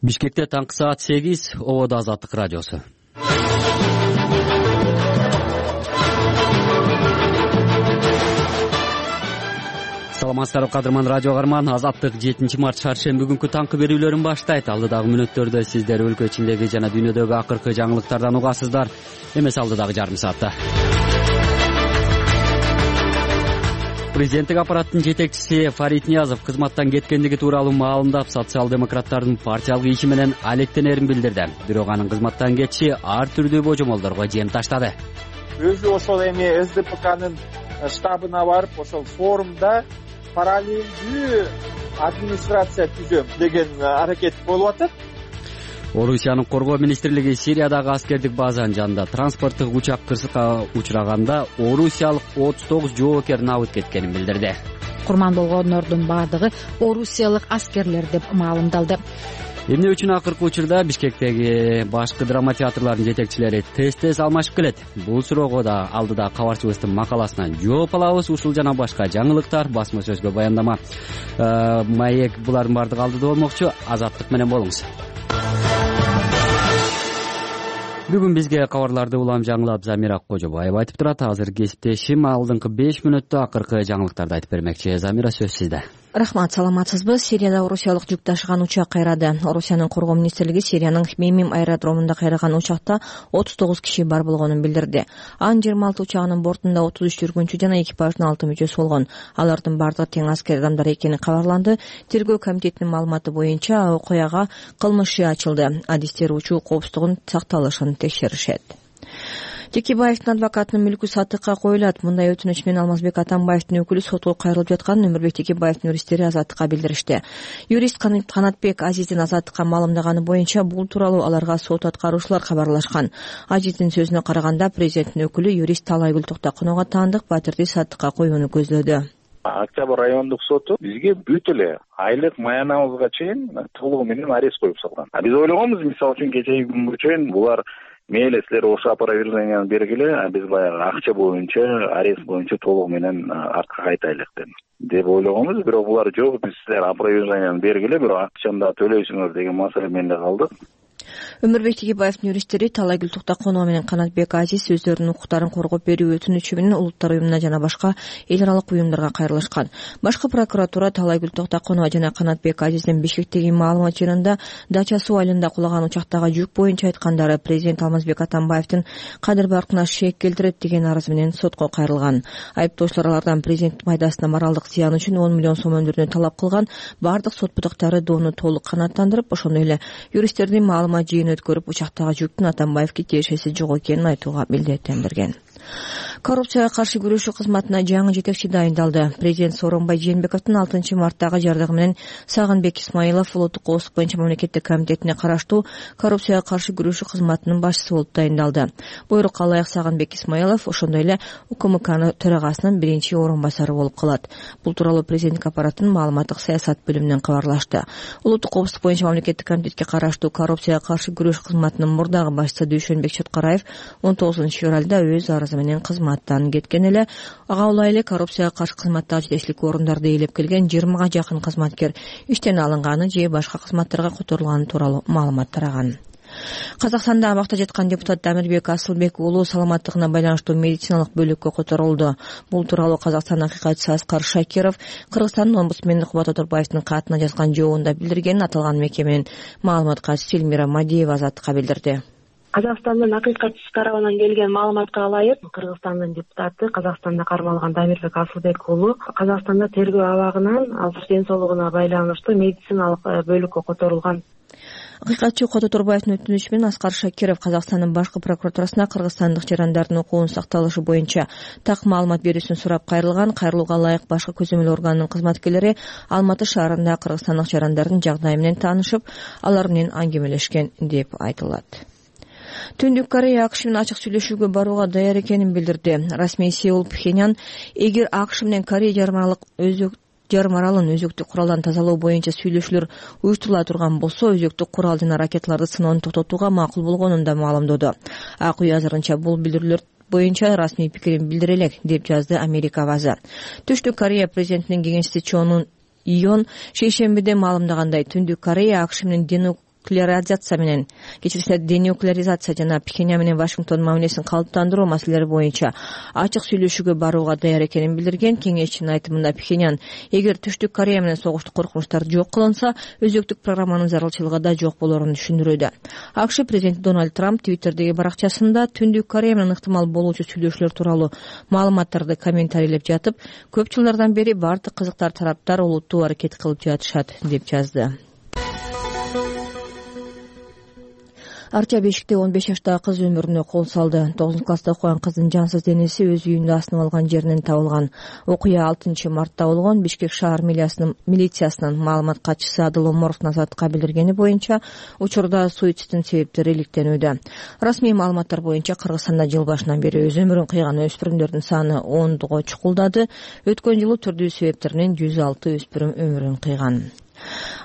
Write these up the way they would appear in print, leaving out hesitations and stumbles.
Бишкекте таңкы саат 8, Ободо Азаттык радиосу. Саламатсыздарбы кадырман радио каарман. Азаттык 7 март шаршемби күнкү таңкы берүүлөрүн баштайт. Алдыдагы мүнөттөрдө сиздер өлкө ичиндеги жана дүйнөдөгү акыркы жаңылыктардан угасыздар. Эмес алдыдагы жарым саатта. Президенттик аппараттын жетекчиси Фарид Ниязов кызматтан кеткендиги тууралуу маалымдап, социал-демократтардын партиялык иши менен алектенерин билдирди. Бирок анын кызматтан кетиши ар түрдүү божомолдорго жем таштады. Өзү ошол эми СДПКнын штабына барып, ошол форумда параллелдүү администрация түзөм деген аракет болуп атат. Орусиянын коргоо министрлиги Сириядагы аскердик базанын жанында транспорттук учак кырсыкка учураганда орусиялык 39 жоокер набыт кеткенин билдирди. Курман болгондордун баардыгы орусиялык аскерлер деп маалымдалды. Эмне үчүн акыркы учурда Бишкектеги башкы драма театрларынын жетекчилери тез алмашып келет? Бул суроого да алдыда кабарчыбыздын макаласынан жооп алабыз. Ушул жана башка жаңылыктар басма сөзгө баяндама маек булардын баардыгы алдыда болмокчу. Азаттык менен болуңуз. Бүгүн бизге кабарларды улам жаңылап Замира Кожобаева айтып турат. Азыр кесиптешим алдыңкы 5 мүнөттө акыркы жаңылыктарды айтып бермекчи. Замира, сөз сизде. Рахмат, саламатсызбы? Сирияда орусиялык жүк ташыган учак кайрады. Орусиянын коргоо министрлиги Сириянын Хмеймим аэродромунда кайраган учакта 39 киши бар болгонун билдирди. Анын 26 учагынын бортунда 33 жүргүнчү жана экипаждын 6 мүчөсү болгон. Алардын бардыгы тең аскер адамдар экени кабарланды. Тергөө комитетинин маалыматы боюнча окуяга кылмыш иши ачылды. Адистер учуу коопсуздугунун сакталышын текшеришет. Текебаевдин адвокатынын мүлкү сатыкка коюлат. Мындай өтүнүч менен Алмазбек Атамбаевдин өкүлү сотко кайрылып жатканын Өмүрбек Текебаевдин юристтери Азаттыкка билдиришти. Юрист Канатбек Азиздин Азаттыкка маалымдаганы боюнча бул тууралуу аларга сот аткаруучулар кабарлашкан. Азиздин сөзүнө караганда президенттин өкүлү юрист Талайгүл Токтокунова таандык батирди сатыкка коюуну көздөдү. Октябрь райондук соту бизге бүт эле айлык маянабызга чейин толугу менен арест коюп салган. Биз ойлогонбуз, мисалы үчүн кечеги күнгө чейин булар мейли силер ошо опроверженияны бергиле, биз баягы акча боюнча, арест боюнча толугу менен артка кайтайлык деп ойлогонбуз. Бирок булар жок, биз силер опроверженияны бергиле, бирок акчаны да төлөйсүңөр деген маселе менен калдык. Өмүрбек Текебаевдин юристтери Талайгүл Токтокунова менен Канатбек Азиз өздөрүнүн укуктарын коргоп берүү өтүнүчү менен Улуттар уюмуна жана башка эл аралык уюмдарга кайрылышкан. Башкы прокуратура Талайгүл Токтокунова жана Канатбек Азиздин Бишкектеги маалымат жыйынында Дача суу айылында кулаган учактагы жүк боюнча айткандары президент Алмазбек Атамбаевдин кадыр баркына шек келтирет деген арыз менен сотко кайрылган. Айыптоочулар алардан президент пайдасына моралдык зыян үчүн 10 миллион сом өндүрүүнү талап кылган. Бардык сот бутактары доону толук канааттандырып, ошондой эле юристтердин маалымат жыйын өткөрүп, учактагы жүктүн Атамбаевге тиешеси жок экенин айтууга милдеттендирген. Коррупцияга каршы күрөшүү кызматына жаңы жетекчи дайындалды. Президент Сооронбай Жээнбековдун 6 марттагы жардыгы менен Сагынбек Исмаилов улуттук коопсуздук боюнча мамлекеттик комитетине караштуу коррупцияга каршы күрөшүү кызматынын башчысы болуп дайындалды. Буйрукка ылайык Сагынбек Исмаилов ошондой эле УКМК төрагасынын биринчи орун басары болуп калат. Бул тууралуу президенттик аппараттын маалыматтык саясат бөлүмүнөн кабарлашты. Улуттук коопсуздук боюнча мамлекеттик комитетке караштуу коррупцияга каршы күрөшүү кызматынын мурдагы башчысы Дүйшөнбек Чоткараев 19-февралда өз арызы менен кызматтан кеткен эле. Ага улай коррупцияга каршы кызматтагы жетекчилик орундарды ээлеп келген 20га жакын кызматкер иштен алынганы же башка кызматтарга которулганы тууралуу маалымат тараган. Казакстанда абакта жаткан депутат Дамирбек Асылбек уулу саламаттыгына байланыштуу медициналык бөлүккө которулду. Бул тууралуу Казакстандын акыйкатчысы Аскар Шакиров Кыргызстандын омбудсмени Кубат Оторбаевдин катына жазган жообунда билдиргенин аталган мекеменин маалымат катчысы Элмира Мадиева Азаттыкка билдирди. Казакстандын акыйкатчысы тарабынан келген маалыматка ылайык, Кыргызстандын депутаты Казакстанда кармалган Дамирбек Асылбек уулу Казакстанда тергөө абагынан азыр ден соолугуна байланыштуу медициналык бөлүккө которулган. Акыйкатчы Кубат Оторбаевдин өтүнүчү менен Аскар Шакиров Казакстандын башкы прокуратурасына кыргызстандык жарандардын укугунун сакталышы боюнча так маалымат берүүсүн сурап кайрылган. Кайрылууга ылайык башкы көзөмөл органынын кызматкерлери Алматы шаарында кыргызстандык жарандардын жагдайы менен таанышып, алар менен аңгемелешкен деп айтылат. Түндүк Корея АКШ менен ачык сүйлөшүүгө барууга даяр экенин билдирди. Расмий Сеул Пхеньян эгер АКШ менен Корея жарым аралын өзөктүк куралдан тазалоо боюнча сүйлөшүүлөр уюштурула турган болсо, өзөктүк курал жана ракеталарды сыноону токтотууга макул болгонун да маалымдоду. АК үй азырынча бул билдирүүлөр боюнча расмий пикирин билдире элек деп жазды Америка базы. Түштүк Корея президентинин кеңешчиси Чон Ион шейшембиде маалымдагандай, Түндүк Корея АКШ менен денуклеаризация жана Пхеньян менен Вашингтон мамилесин калыптандыруу маселелери боюнча ачык сүйлөшүүгө барууга даяр экенин билдирген кеңешчинин айтымында Пхеньян эгер Түштүк Корея менен согуштук коркунучтар жок кылынса, өзөктүк программанын зарылчылыгы да жок болорун түшүндүрүүдө. АКШ президенти Дональд Трамп Твиттердеги баракчасында Түндүк Корея менен ыктымал болуучу сүйлөшүүлөр тууралуу маалыматтарды комментарийлеп жатып, көп жылдардан бери бардык кызыктар тараптар олуттуу аракет кылып жатышат деп жазды. Арча Бешикте 15 жаштагы кыз өмүрүнө кол салды. 9-класста окуган кыздын жансыз денеси өз үйүндө асынып алган жеринен табылган. Окуя 6 мартта болгон. Бишкек шаар милициясынын маалымат катчысы Адыл Оморов Азаттыкка билдиргени боюнча, учурда суицидтин себептери иликтенүүдө. Расмий маалыматтар боюнча Кыргызстанда жыл башынан бери өз өмүрүн кыйган өспүрүмдөрдүн саны 10го чукулдады. Өткөн жылы түрдүү себептеринен 106 өспүрүм өмүрүн кыйган.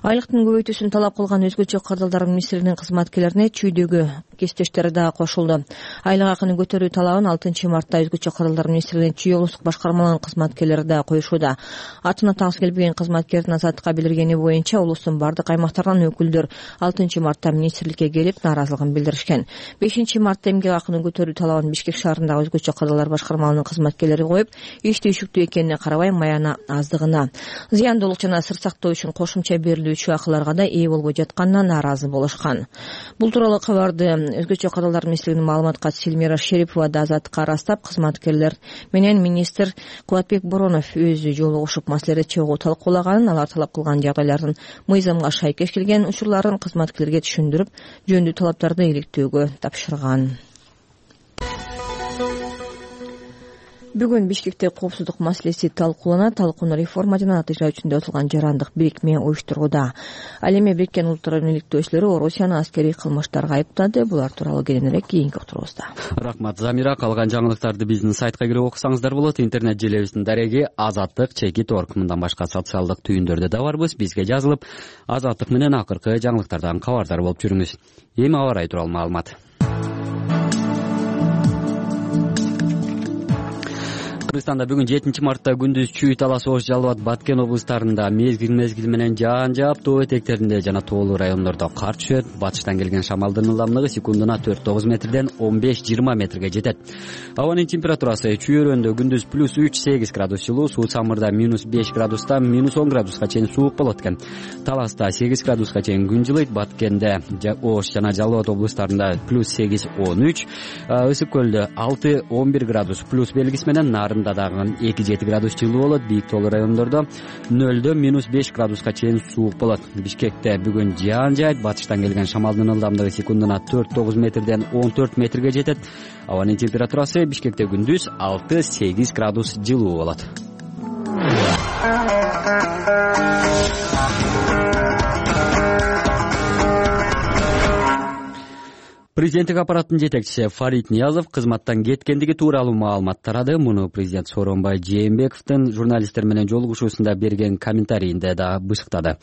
Айлыктын көбөйтүүсүн талап кылган өзгөчө кардалдар министрлигинин кызматкерлерине чүйдөгү кесиптештери дагы кошулду. Айлык акынын көтөрүү талабын 6 мартта өзгөчө кардалдар министрлигинин чүй облустук башкармаларынын кызматкерлери дагы коюшууда. Атына тагыс келбеген кызматкердин Азаттыкка билдиргени боюнча, облустун бардык аймактарынан өкүлдөр 6 мартта министрликке келип нааразылыгын билдиришкен. 5 мартта эмгек акынын көтөрүү талабын Бишкек шаарындагы өзгөчө кардалдар башкармаларынын кызматкерлери коюп, иш түйшүктүү экенине карабай маяна аздыгына, зыяндуулук жана сыр сактоо үчүн кошумча берилүүчү акыларга да ээ болбой жатканына нааразы болушкан. Бул тууралуу кабарды өзгөчө кардалдар министрлигинин маалымат катчысы Эльмира Шерипова да Азаттыкка ырастап, кызматкерлер менен министр Кубатбек Боронов өзү жолугушуп маселеде чогуу талкуулаганын, алар талап кылган жагдайлардын мыйзамга шайкеш келген учурларын кызматкерлерге түшүндүрүп, жөндүү талаптарды иликтөөгө тапшырган. Бүгүн Бишкекте коопсуздук маселеси талкууланат. Талкууну реформа жана ат ижрачүндө отулган жарандык бирикме уюштурууда. Ал эми Бириккен Улуттар иликтөөчүлөрү Орусияны аскерий кылмыштарга айыптады. Булар тууралуу кийинирээк кийинки уктуруубузда. Рахмат Замира. Калган жаңылыктарды биздин сайтка кирип окусаңыздар болот. Интернет желебиздин дареги azatlyk.org. Мындан башка социалдык түйүндөрдө да барбыз. Бизге жазылып, Азаттык менен акыркы жаңылыктардан кабардар болуп жүрүңүз. Эми аба ырайы тууралуу маалымат. Кыргызстанда бүгүн 7 мартта күндүз Чүй, Талас, Ош, Жалал Абад, Баткен облустарында мезгил менен жаан жаап, тоо этектеринде жана тоолуу райондордо кар түшөт. Батыштан келген шамалдын ылдамдыгы секундуна 4-9 метрден 15-20 метрге жетет. Абанын температурасы Чүй өрөөндө күндүз +3-8 градус жылуу, Суу Самырда -5 градустан -10 градуска чейин суук болот экен. Таласта 8 градуска чейин күн жылыйт. Баткенде, Ош жана Жалал Абад облустарында +8-13, Ысык көлдө 6-11 градус плюс белгиси менен, Нарында дагы 2-7 градус жылуу болот. Бийик тоолуу райондордо 0-дөн -5 градуска чейин суук болот. Бишкекте бүгүн жаан жаайт. Батыштан келген шамалдын ылдамдыгы секундуна 4-9 метрден 14 метрге жетет. Абанын температурасы Бишкекте күндүз 6-8 градус жылуу болот. Президенттик аппараттын жетекчиси Фарид Ниязов кызматтан кеткендиги тууралуу маалымат тарады. Муну президент Сооронбай Жээнбековдун журналисттер менен жолугушуусунда берген комментарийинде да бышыктады.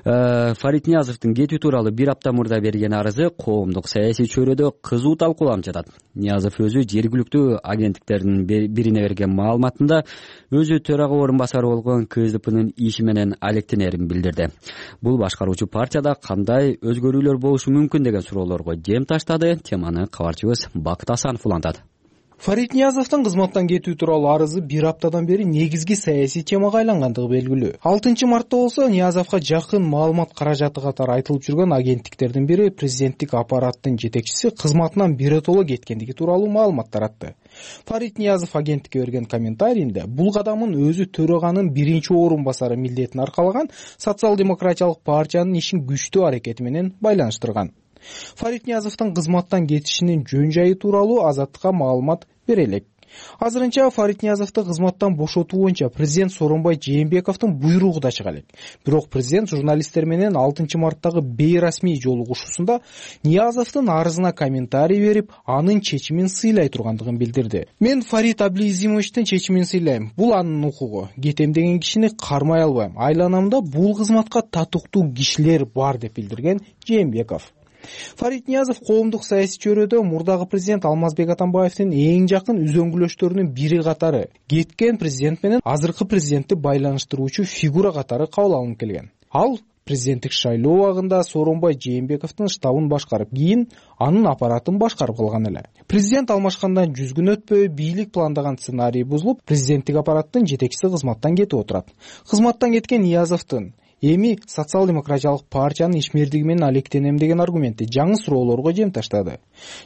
Фарид Ниязовдун кетүү тууралуу бир апта мурда берген арызы коомдук саясий чөйрөдө кызуу талкууланып жатат. Ниязов өзү жергиликтүү агенттиктердин бирине берген маалыматында өзү төрага орун басары болгон КСДПнын иши менен алектенерин билдирди. Бул башкаруучу партияда кандай өзгөрүүлөр болушу мүмкүн деген суроолорго жем таштады. Теманы кабарчыбыз Бакыт Асанов улантат. Фарид Ниязовдун кызматтан кетүү тууралуу арызы бир аптадан бери негизги саясий темага айлангандыгы белгилүү. 6 мартта болсо Ниязовго жакын маалымат каражаты катары айтылып жүргөн агенттиктердин бири президенттик аппараттын жетекчиси кызматынан биротоло кеткендиги тууралуу маалымат таратты. Фарид Ниязов агенттикке берген комментарийинде бул кадамын өзү төраганын биринчи орун басары милдетин аркалаган социал-демократиялык партиянын ишин күчтүү аракети менен байланыштырган. Фарид Ниязовдун кызматтан кетишинин жөн жайы тууралуу Азаттыкка маалымат бере элек. Азырынча Фарид Ниязовду кызматтан бошотуу боюнча президент Сооронбай Жээнбековдун буйругу да чыга элек. Бирок президент журналисттер менен 6 марттагы бейрасмий жолугушуусунда Ниязовдун арызына комментарий берип, анын чечимин сыйлай тургандыгын билдирди. Мен Фарид Аблизимовичтин чечимин сыйлайм. Бул анын укугу. Кетем деген кишини кармай албайм. Айланамда бул кызматка татыктуу кишилер бар деп билдирген Жээнбеков. Фарид Ниязов коомдук саясий чөйрөдө мурдагы президент Алмазбек Атамбаевдин эң жакын үзөңгүлөштөрүнүн бири катары, кеткен президент менен азыркы президентти байланыштыруучу фигура катары кабыл алынып келген. Ал президенттик шайлоо убагында Сооронбай Жээнбековдун штабын башкарып, кийин анын аппаратын башкарып калган эле. Президент алмашкандан 100 күн өтпөй бийлик пландаган сценарий бузулуп, президенттик аппараттын жетекчиси кызматтан кетип отурат. Кызматтан кеткен Ниязовдун эми социал-демократиялык партиянын ишмердиги менен алектенем деген аргументи жаңы суроолорго жем таштады.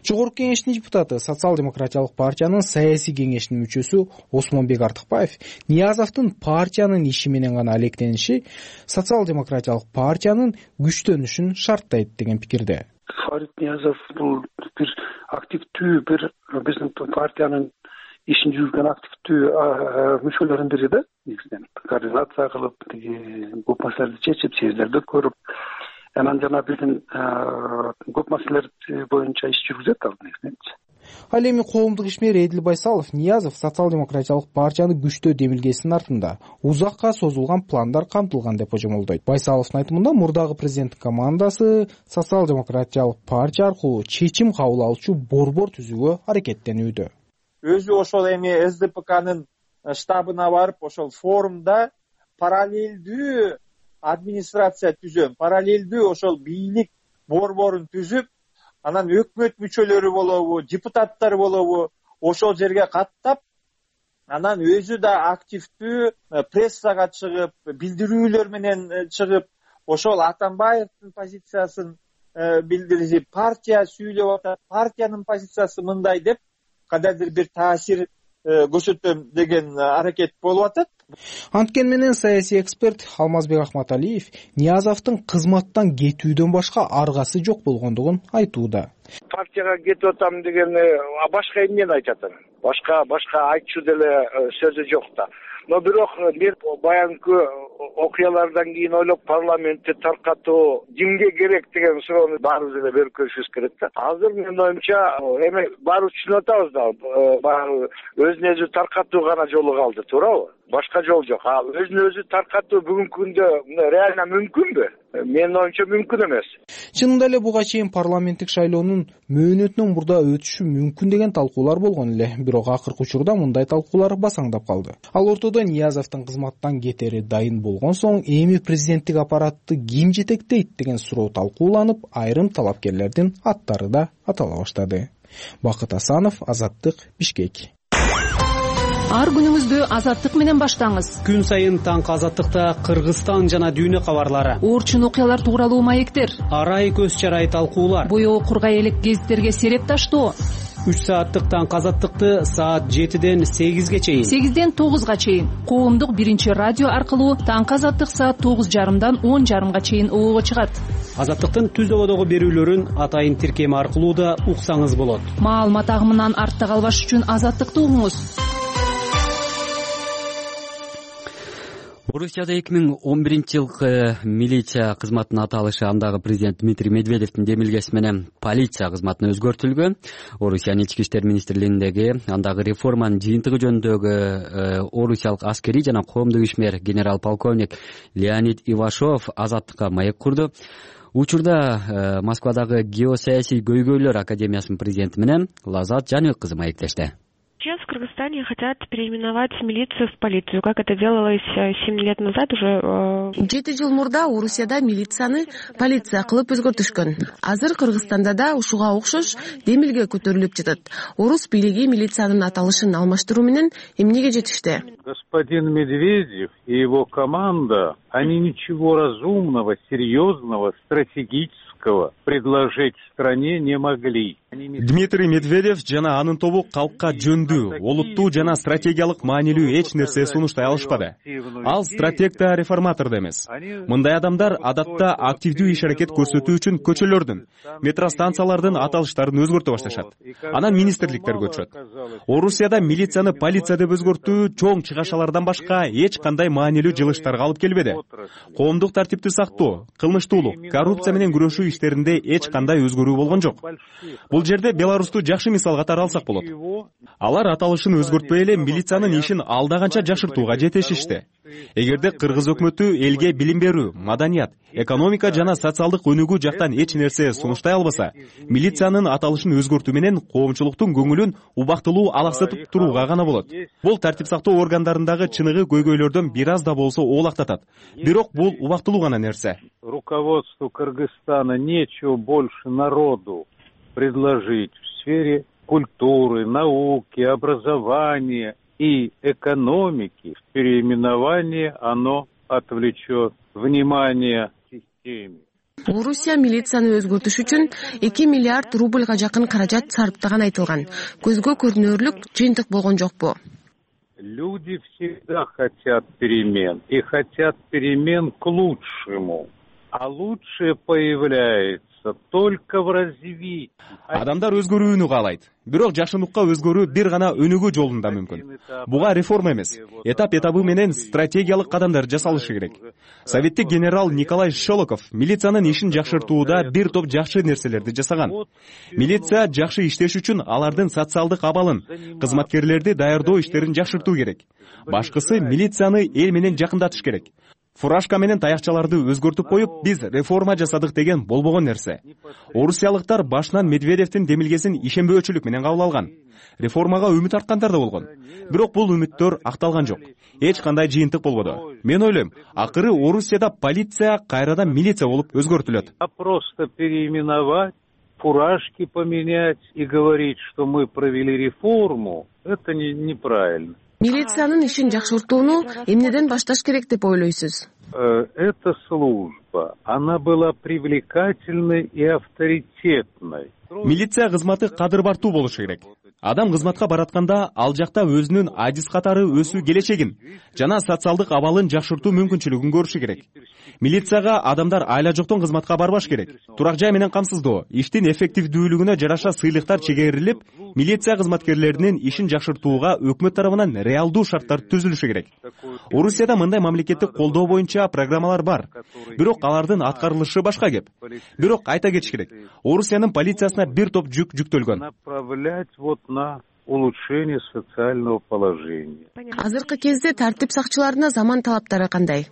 Жогорку кеңештин депутаты, социал-демократиялык партиянын саясий кеңешинин мүчөсү Осмонбек Артыкбаев Ниязовдун партиянын иши менен гана алектениши социал-демократиялык партиянын күчтөнүшүн шарттайт деген пикирде. Фарид Ниязов бул бир активдүү, бир биздин партиянын ишин жүргөн активдүү мүчөлөрүнүн бири да. Негизинен координация кылып, көп маселелерди чечип, съездерди көрүп, анан жана биздин көп маселелер боюнча иш жүргүзөт ал негизинен. Ал эми коомдук ишмер Эдил Байсалов Ниязов социал-демократиялык партияны күчтөө демилгесинин артында узакка созулган пландар камтылган деп божомолдойт. Байсаловдун айтымында мурдагы президенттин командасы социал-демократиялык партия аркылуу чечим кабыл алуучу борбор түзүүгө аракеттенүүдө. Өзү ошол эми СДПКнын штабына барып, ошол форумда параллелдүү администрация түзөм, параллелдүү ошол бийлик борборун түзүп, анан өкмөт мүчөлөрү болобу, депутаттар болобу, ошол жерге каттап, анан өзү да активдүү прессага чыгып, билдирүүлөр менен чыгып, ошол Атамбаевдин позициясын билдирип, партия сүйлөп атат, партиянын позициясы мындай деп кадайдыр бир таасир көрсөтөм деген аракет болуп атат. Анткени менен саясий эксперт Алмазбек Ахматалиев Ниязовдун кызматтан кетүүдөн башка аргасы жок болгондугун айтууда. Партияга кетип атам деген башка эмнени айтат? Башка айтчу деле сөзү жок да. Но бирок мен баягы окуялардан кийин ойлоп парламентти таркатуу кимге керек деген суроону баарыбыз эле берип көрүшүбүз керек да. Азыр менин оюмча эми баарыбыз түшүнүп атабыз да, баягы өзүн өзү таркатуу гана жолу калды, туурабы? Башка жол жок. Өзүн өзү таркатуу бүгүнкү күндө реально мүмкүнбү? Менин оюмча мүмкүн эмес. Чынында эле буга чейин парламенттик шайлоонун мөөнөтүнөн мурда өтүшү мүмкүн деген талкуулар болгон эле, бирок акыркы учурда мындай талкуулар басаңдап калды. Ал ортодо Ниязовдун кызматтан кетери дайын болгон соң эми президенттик аппаратты ким жетектейт деген суроо талкууланып, айрым талапкерлердин аттары да атала баштады. Бакыт Асанов, Азаттык, Бишкек. Ар күнүңүздү Азаттык менен баштаңыз. Күн сайын таңкы Азаттыкта Кыргызстан жана дүйнө кабарлары, Орчун окуялар тууралуу маектер, арай көз чарай талкуулар, боёу кургай элек гезиттерге сереп таштоо. 3 сааттык таңкы Азаттыкты саат 7ден 8ге чейин, 8ден 9га чейин коомдук биринчи радио аркылуу таңкы Азаттык саат 9:30дан 10:30га чейин оого чыгат. Азаттыктын түз ободогу берүүлөрүн атайын тиркеми аркылуу да уксаңыз болот. Маалымат агымынан артта калбаш үчүн Азаттыкты угуңуз. Орусияда 2011-жылкы милиция кызматынын аталышы андагы президент Дмитрий Медведевдин демилгеси менен полиция кызматына өзгөртүлгөн. Орусиянын ички иштер министрлигиндеги андагы реформанын жыйынтыгы жөнүндөгү орусиялык аскерий жана коомдук ишмер генерал-полковник Леонид Ивашов Азаттыкка маек курду. Учурда Москвадагы геосаясий көйгөйлөр академиясынын президенти менен Лазат Жаныбек кызы маектешти. Сейчас в Кыргызстане хотят переименовать милицию в полицию, как это делалось 7 лет назад уже. 7 жыл мурда Орусияда милицияны полиция кылып өзгөртүшкөн. Азыр Кыргызстанда да ушуга окшош демилге көтөрүлүп жатат. Орус бийлиги милициянын аталышын алмаштыруу менен эмнеге жетишти? Господин Медведев и его команда, они ничего разумного, серьезного, стратегического предложить стране не могли. Дмитрий Медведев жана анын тобу калкка жөндүү, олуттуу жана стратегиялык маанилүү эч нерсе сунуштай алышпады. Ал стратег да реформатор да эмес. Мындай адамдар адатта активдүү иш аракет көрсөтүү үчүн көчөлөрдүн, метростанциялардын аталыштарын өзгөртө башташат. Анан министрликтерге өтүшөт. Орусияда милицияны полиция деп өзгөртүү чоң чыгашалардан башка эч кандай маанилүү жылыштарга алып келбеди. Коомдук тартипти сактоо, кылмыштуулук, коррупция менен күрөшүү иштеринде эч кандай өзгөрүү болгон жок. Бул жерде Беларусту жакшы мисал катары алсак болот. Алар аталышын өзгөртпөй эле милициянын ишин алда канча жакшыртууга жетишишти. эгерде кыргыз өкмөтү элге билим берүү, маданият, экономика жана социалдык өнүгүү жактан эч нерсе сунуштай албаса, милициянын аталышын өзгөртүү менен коомчулуктун көңүлүн убактылуу алаксытып турууга гана болот. Бул тартип сактоо органдарындагы чыныгы көйгөйлөрдөн бир аз да болсо оолактатат. Бирок бул убактылуу гана нерсе. Руководству Кыргызстана нечего больше народу предложить в сфере культуры, науки, образования и экономики. Переименование оно отвлечет внимание системе. Орусия милицияны өзгөртүш үчүн 2 миллиард рубльга жакын каражат сарптаган айтылган. Көзгө көрүнөрлүк жыйынтык болгон жокпу? Люди всегда хотят перемен и хотят перемен к лучшему. А лучшее появляется только в развитии. Адамдар өзгөрүүнү каалайт. Бирок жакшыныкка өзгөрүү бир гана өнүгүү жолунда мүмкүн. Буга реформа эмес, этап-этабы менен стратегиялык кадамдар жасалышы керек. Советтик генерал Николай Шолоков милициянын ишин жакшыртууда бир топ жакшы нерселерди жасаган. Милиция жакшы иштеш үчүн алардын социалдык абалын, кызматкерлерди даярдоо иштерин жакшыртуу керек. Башкысы милицияны эл менен жакындатыш керек. Фуражка менен таякчаларды өзгөртүп коюп, биз реформа жасадык деген болбогон нерсе. Орусиялыктар башынан Медведевдин демилгесин ишенбөөчүлүк менен кабыл алган. Реформага үмүт арткандар да болгон. Бирок бул үмүттөр акталган жок. Эч кандай жыйынтык болбоду. Мен ойлойм, акыры Орусияда полиция кайрадан милиция болуп өзгөртүлөт. А просто переименовать, фуражки поменять и говорить, что мы провели реформу, это неправильно. Милициянын ишин жакшыртууну эмнеден башташ керек деп ойлойсуз? Эта служба, она была привлекательной и авторитетной. Милиция кызматы кадыр-бартуу болушу керек. Адам кызматка баратканда ал жакта өзүнүн адис катары өсүү келечегин жана социалдык абалын жакшыртуу мүмкүнчүлүгүн көрүшү керек. Милицияга адамдар айла жоктон кызматка барбаш керек. Турак жай менен камсыздоо, иштин эффективдүүлүгүнө жараша сыйлыктар чегерилип, милиция кызматкерлеринин ишин жакшыртууга өкмөт тарабынан реалдуу шарттар түзүлүшү керек. Орусияда мындай мамлекеттик колдоо боюнча программалар бар. Бирок алардын аткарылышы башка кеп. Бирок айта кетиш керек, Орусиянын полициясына бир топ жүк жүктөлгөн. Направлять на улучшение социального положения. Азыркы кезде тартип сакчыларына заман талаптары кандай?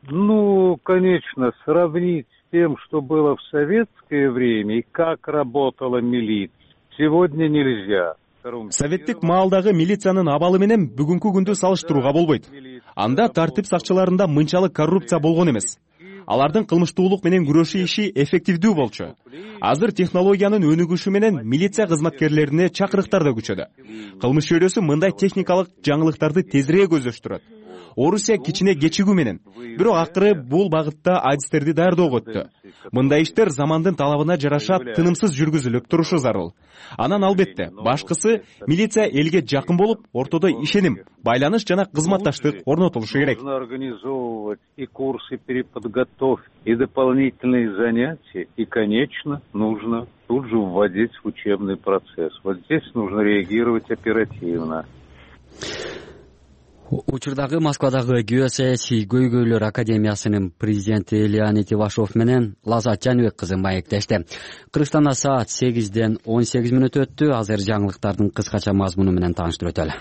Конечно, сравнить с тем, что было в советское время и как работала милиция, сегодня нельзя. Советтик маалдагы милициянын абалы менен бүгүнкү күндү салыштырууга болбойт. Анда тартип сакчыларында мынчалык коррупция болгон эмес. Алардын кылмыштуулук менен күрөшүү иши эффективдүү болчу. Азыр технологиянын өнүгүшү менен милиция кызматкерлерине чакырыктар да күчөдү. Кылмыш чөйрөсү мындай техникалык жаңылыктарды тезирээк өздөштүрөт. Орусия кичине кечигүү менен, бирок акыры бул багытта адистерди даярдоого өттү. Мындай иштер замандын талабына жараша тынымсыз жүргүзүлүп турушу зарыл. Анан албетте, башкысы милиция элге жакын болуп, ортодо ишеним, байланыш жана кызматташтык орнотулушу керек. Нужно организовывать и курсы переподготовки, и дополнительные занятия, и, конечно, нужно тут же вводить в учебный процесс. Вот здесь нужно реагировать оперативно. Учурдагы Москвадагы геосаясий көйгөйлөр академиясынын президенти Леонид Ивашов менен Лазат Жаныбек кызы маектешти. Кыргызстанда саат 8-ден 18 мүнөт өттү. Азыр жаңылыктардын кыскача мазмуну менен тааныштырып өтөлү.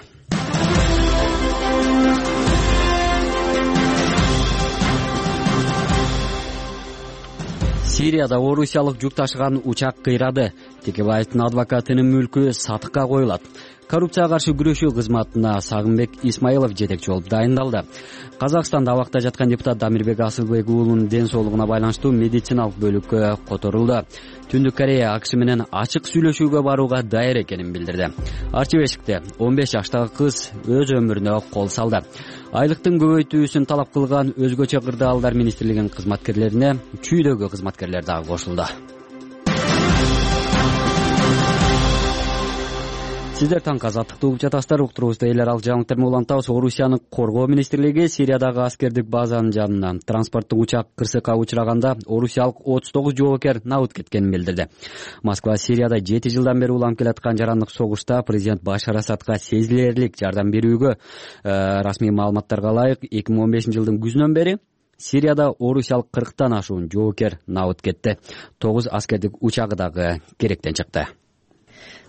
Сирияда орусиялык жүк ташыган учак кыйрады. Текебаевдин адвокатынын мүлкү сатыкка коюлат. Коррупцияга каршы күрөшүү кызматына Сагынбек Исмаилов жетекчи болуп дайындалды. Казакстанда абакта жаткан депутат Дамирбек Асылбек уулунун ден соолугуна байланыштуу медициналык бөлүккө которулду. Түндүк Корея АКШ менен ачык сүйлөшүүгө барууга даяр экенин билдирди. Арчыбешикте 15 жаштагы кыз өз өмүрүнө кол салды. Айлыктын көбөйтүүсүн талап кылган өзгөчө кырдаалдар министрлигинин кызматкерлерине чүйдөгү кызматкерлер дагы кошулду. Сиздер таңкы азаттыкты угуп жатасыздар. Уктурубузда элер ал жаңылыктар менен улантабыз. Орусиянын коргоо министрлиги Сириядагы аскердик базанын жанынан транспорттук учак кырсыкка учураганда орусиялык 39 жоокер набыт кеткенин билдирди. Москва Сирияда 7 жылдан бери уланып келаткан жарандык согушта президент Башар Асадка сезилерлик жардам берүүгө расмий маалыматтарга ылайык 2015 жылдын күзүнөн бери Сирияда орусиялык 40тан ашуун жоокер набыт кетти. 9 аскердик учагы дагы керектен чыкты.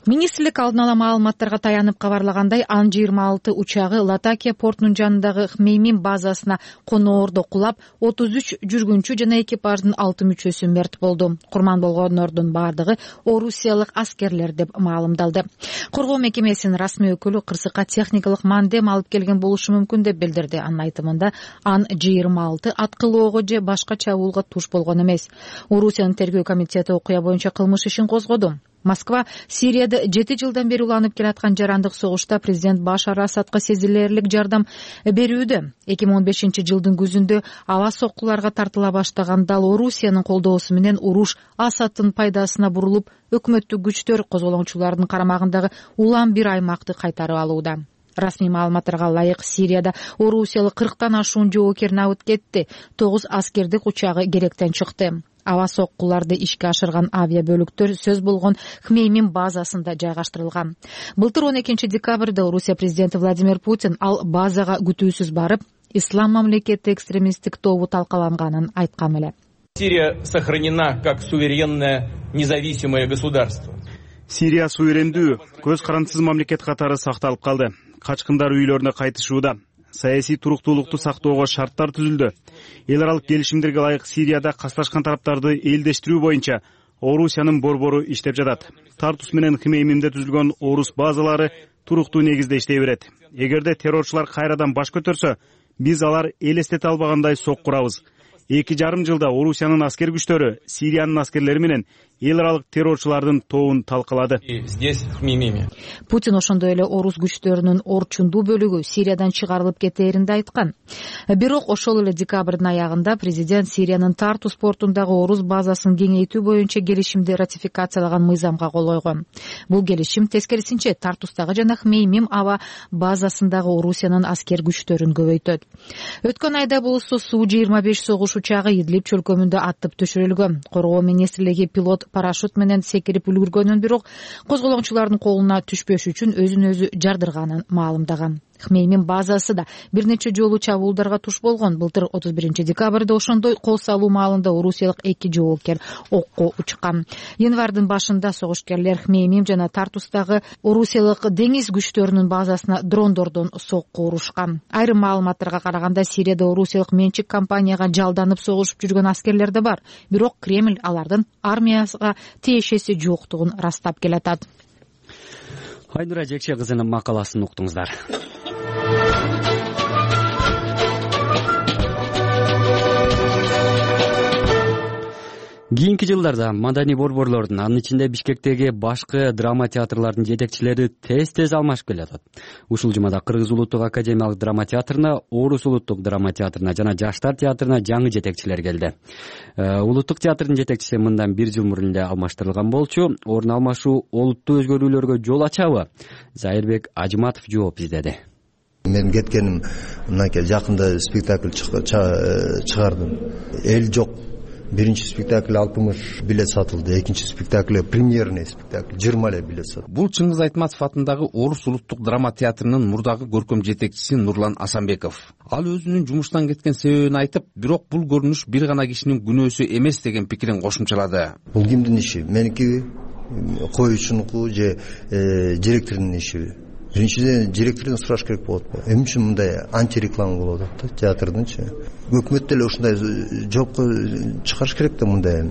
Министрлик алдын ала маалыматтарга таянып кабарлагандай, Ан-26 учагы Латакия портунун жанындагы Хмеймим базасына коноордо кулап, 33 жүргүнчү жана экипаждын 6 мүчөсү мерт болду. Курман болгондордун бардыгы орусиялык аскерлер деп маалымдалды. Коргоо мекемесинин расмий өкүлү кырсыкка техникалык мандем алып келген болушу мүмкүн деп билдирди. Анын айтымында Ан-26 аткылоого же башка чабуулга туш болгон эмес. Орусиянын тергөө комитети окуя боюнча кылмыш ишин козгоду. Москва Сирияда 7 жылдан бери уланып келаткан жарандык согушта президент Башар Асадка сезилерлик жардам берүүдө. 2015 жылдын күзүндө аба соккуларга тартыла баштаганда Орусиянын колдоосу менен уруш Асадтын пайдасына бурулуп, өкмөттүк күчтөр козголоңчулардын карамагындагы улам бир аймакты кайтарып алууда. Расмий маалыматтарга ылайык, Сирияда орусиялык 40тан ашуун жоокер набыт кетти. 9 аскердик учагы керектен чыкты. Аба соккуларды ишке ашырган авиабөлүктөр сөз болгон Хмеймим базасында жайгаштырылган. Былтыр 12 декабрда Орусия президенти Владимир Путин ал базага күтүүсүз барып, Ислам мамлекети экстремисттик тобу талкаланганын айткан эле. Сирия сохранена как суверенное независимое государство. Сирия суверендүү, көз карандысыз мамлекет катары сакталып калды. Качкындар үйлөрүнө кайтышууда. Саясий туруктуулукту сактоого шарттар түзүлдү. Эл аралык келишимдерге ылайык Сирияда касташкан тараптарды элдештирүү боюнча Орусиянын борбору иштеп жатат. Тартус менен Хмеймимде түзүлгөн орус базалары туруктуу негизде иштей берет. Эгерде террорчулар кайрадан баш көтөрсө, биз алар элестете албагандай соккурабыз. 2,5 жылда Орусиянын аскер күчтөрү Сириянын аскерлери менен эл аралык террорчулардын тобун талкалады. Здесь Хмеймиме. Путин ошондой эле орус күчтөрүнүн орчундуу бөлүгү Сириядан чыгарылып кетээрин да айткан. Бирок ошол эле декабрдын аягында президент Сириянын Тартус портундагы орус базасын кеңейтүү боюнча келишимди ратификациялаган мыйзамга кол койгон. Бул келишим тескерисинче Тартустагы жана Хмеймим аба базасындагы Орусиянын аскер күчтөрүн көбөйтөт. Өткөн айда болсо Су-25 согуш учагы Идлиб чөлкөмүндө аттып түшүрүлгөн. Коргоо министрлиги пилот парашют менен секирип үлгүргөнүн, бирок козголоңчулардын колуна түшпөш үчүн өзүн өзү жардырганын маалымдаган. Хмеймим базасы да бир нече жолу чабуулдарга туш болгон. Былтыр 31 декабрда ошондой кол салуу маалында орусиялык 2 жоокер окко учкан. Январдын башында согушкерлер Хмеймим жана Тартустагы орусиялык деңиз күчтөрүнүн базасына дрондордон сокку урушкан. Айрым маалыматтарга караганда Сирияда орусиялык менчик компанияга жалданып согушуп жүргөн аскерлер да бар. Бирок Кремль алардын армияга тиешеси жоктугун ырастап келатат. Айнура Жекше кызынын макаласын уктуңуздар. Кийинки жылдарда маданий борборлордун, анын ичинде Бишкектеги башкы драма театрлардын жетекчилери тез алмашып келатат. Ушул жумада Кыргыз улуттук академиялык драма театрына, Орус улуттук драма театрына жана Жаштар театрына жаңы жетекчилер келди. Улуттук театрдын жетекчиси мындан 1 жыл мурун эле алмаштырылган болчу. Орун алмашуу олуттуу өзгөрүүлөргө жол ачабы? Зайырбек Ажматов жооп издеди. Мен кеткеним мынакей жакында спектакль чыгардым. Эл жок. Биринчи спектакль 60 билет сатылды, экинчи спектакль премьерный спектакль 20 эле билет сатылды. Бул Чыңгыз Айтматов атындагы Орус улуттук драма театрынын мурдагы көркөм жетекчиси Нурлан Асанбеков. Ал өзүнүн жумуштан кеткен себебин айтып, бирок бул көрүнүш бир гана кишинин күнөөсү эмес деген пикирин кошумчалады. Бул кимдин иши? Меники, коюучунуку же директордун иши? Биринчиден директордон сураш керек болот. Эмне үчүн мындай антиреклама болуп атат да театрдынчы? Өкмөт деле ушундай жоопко чыгарыш керек да мындай.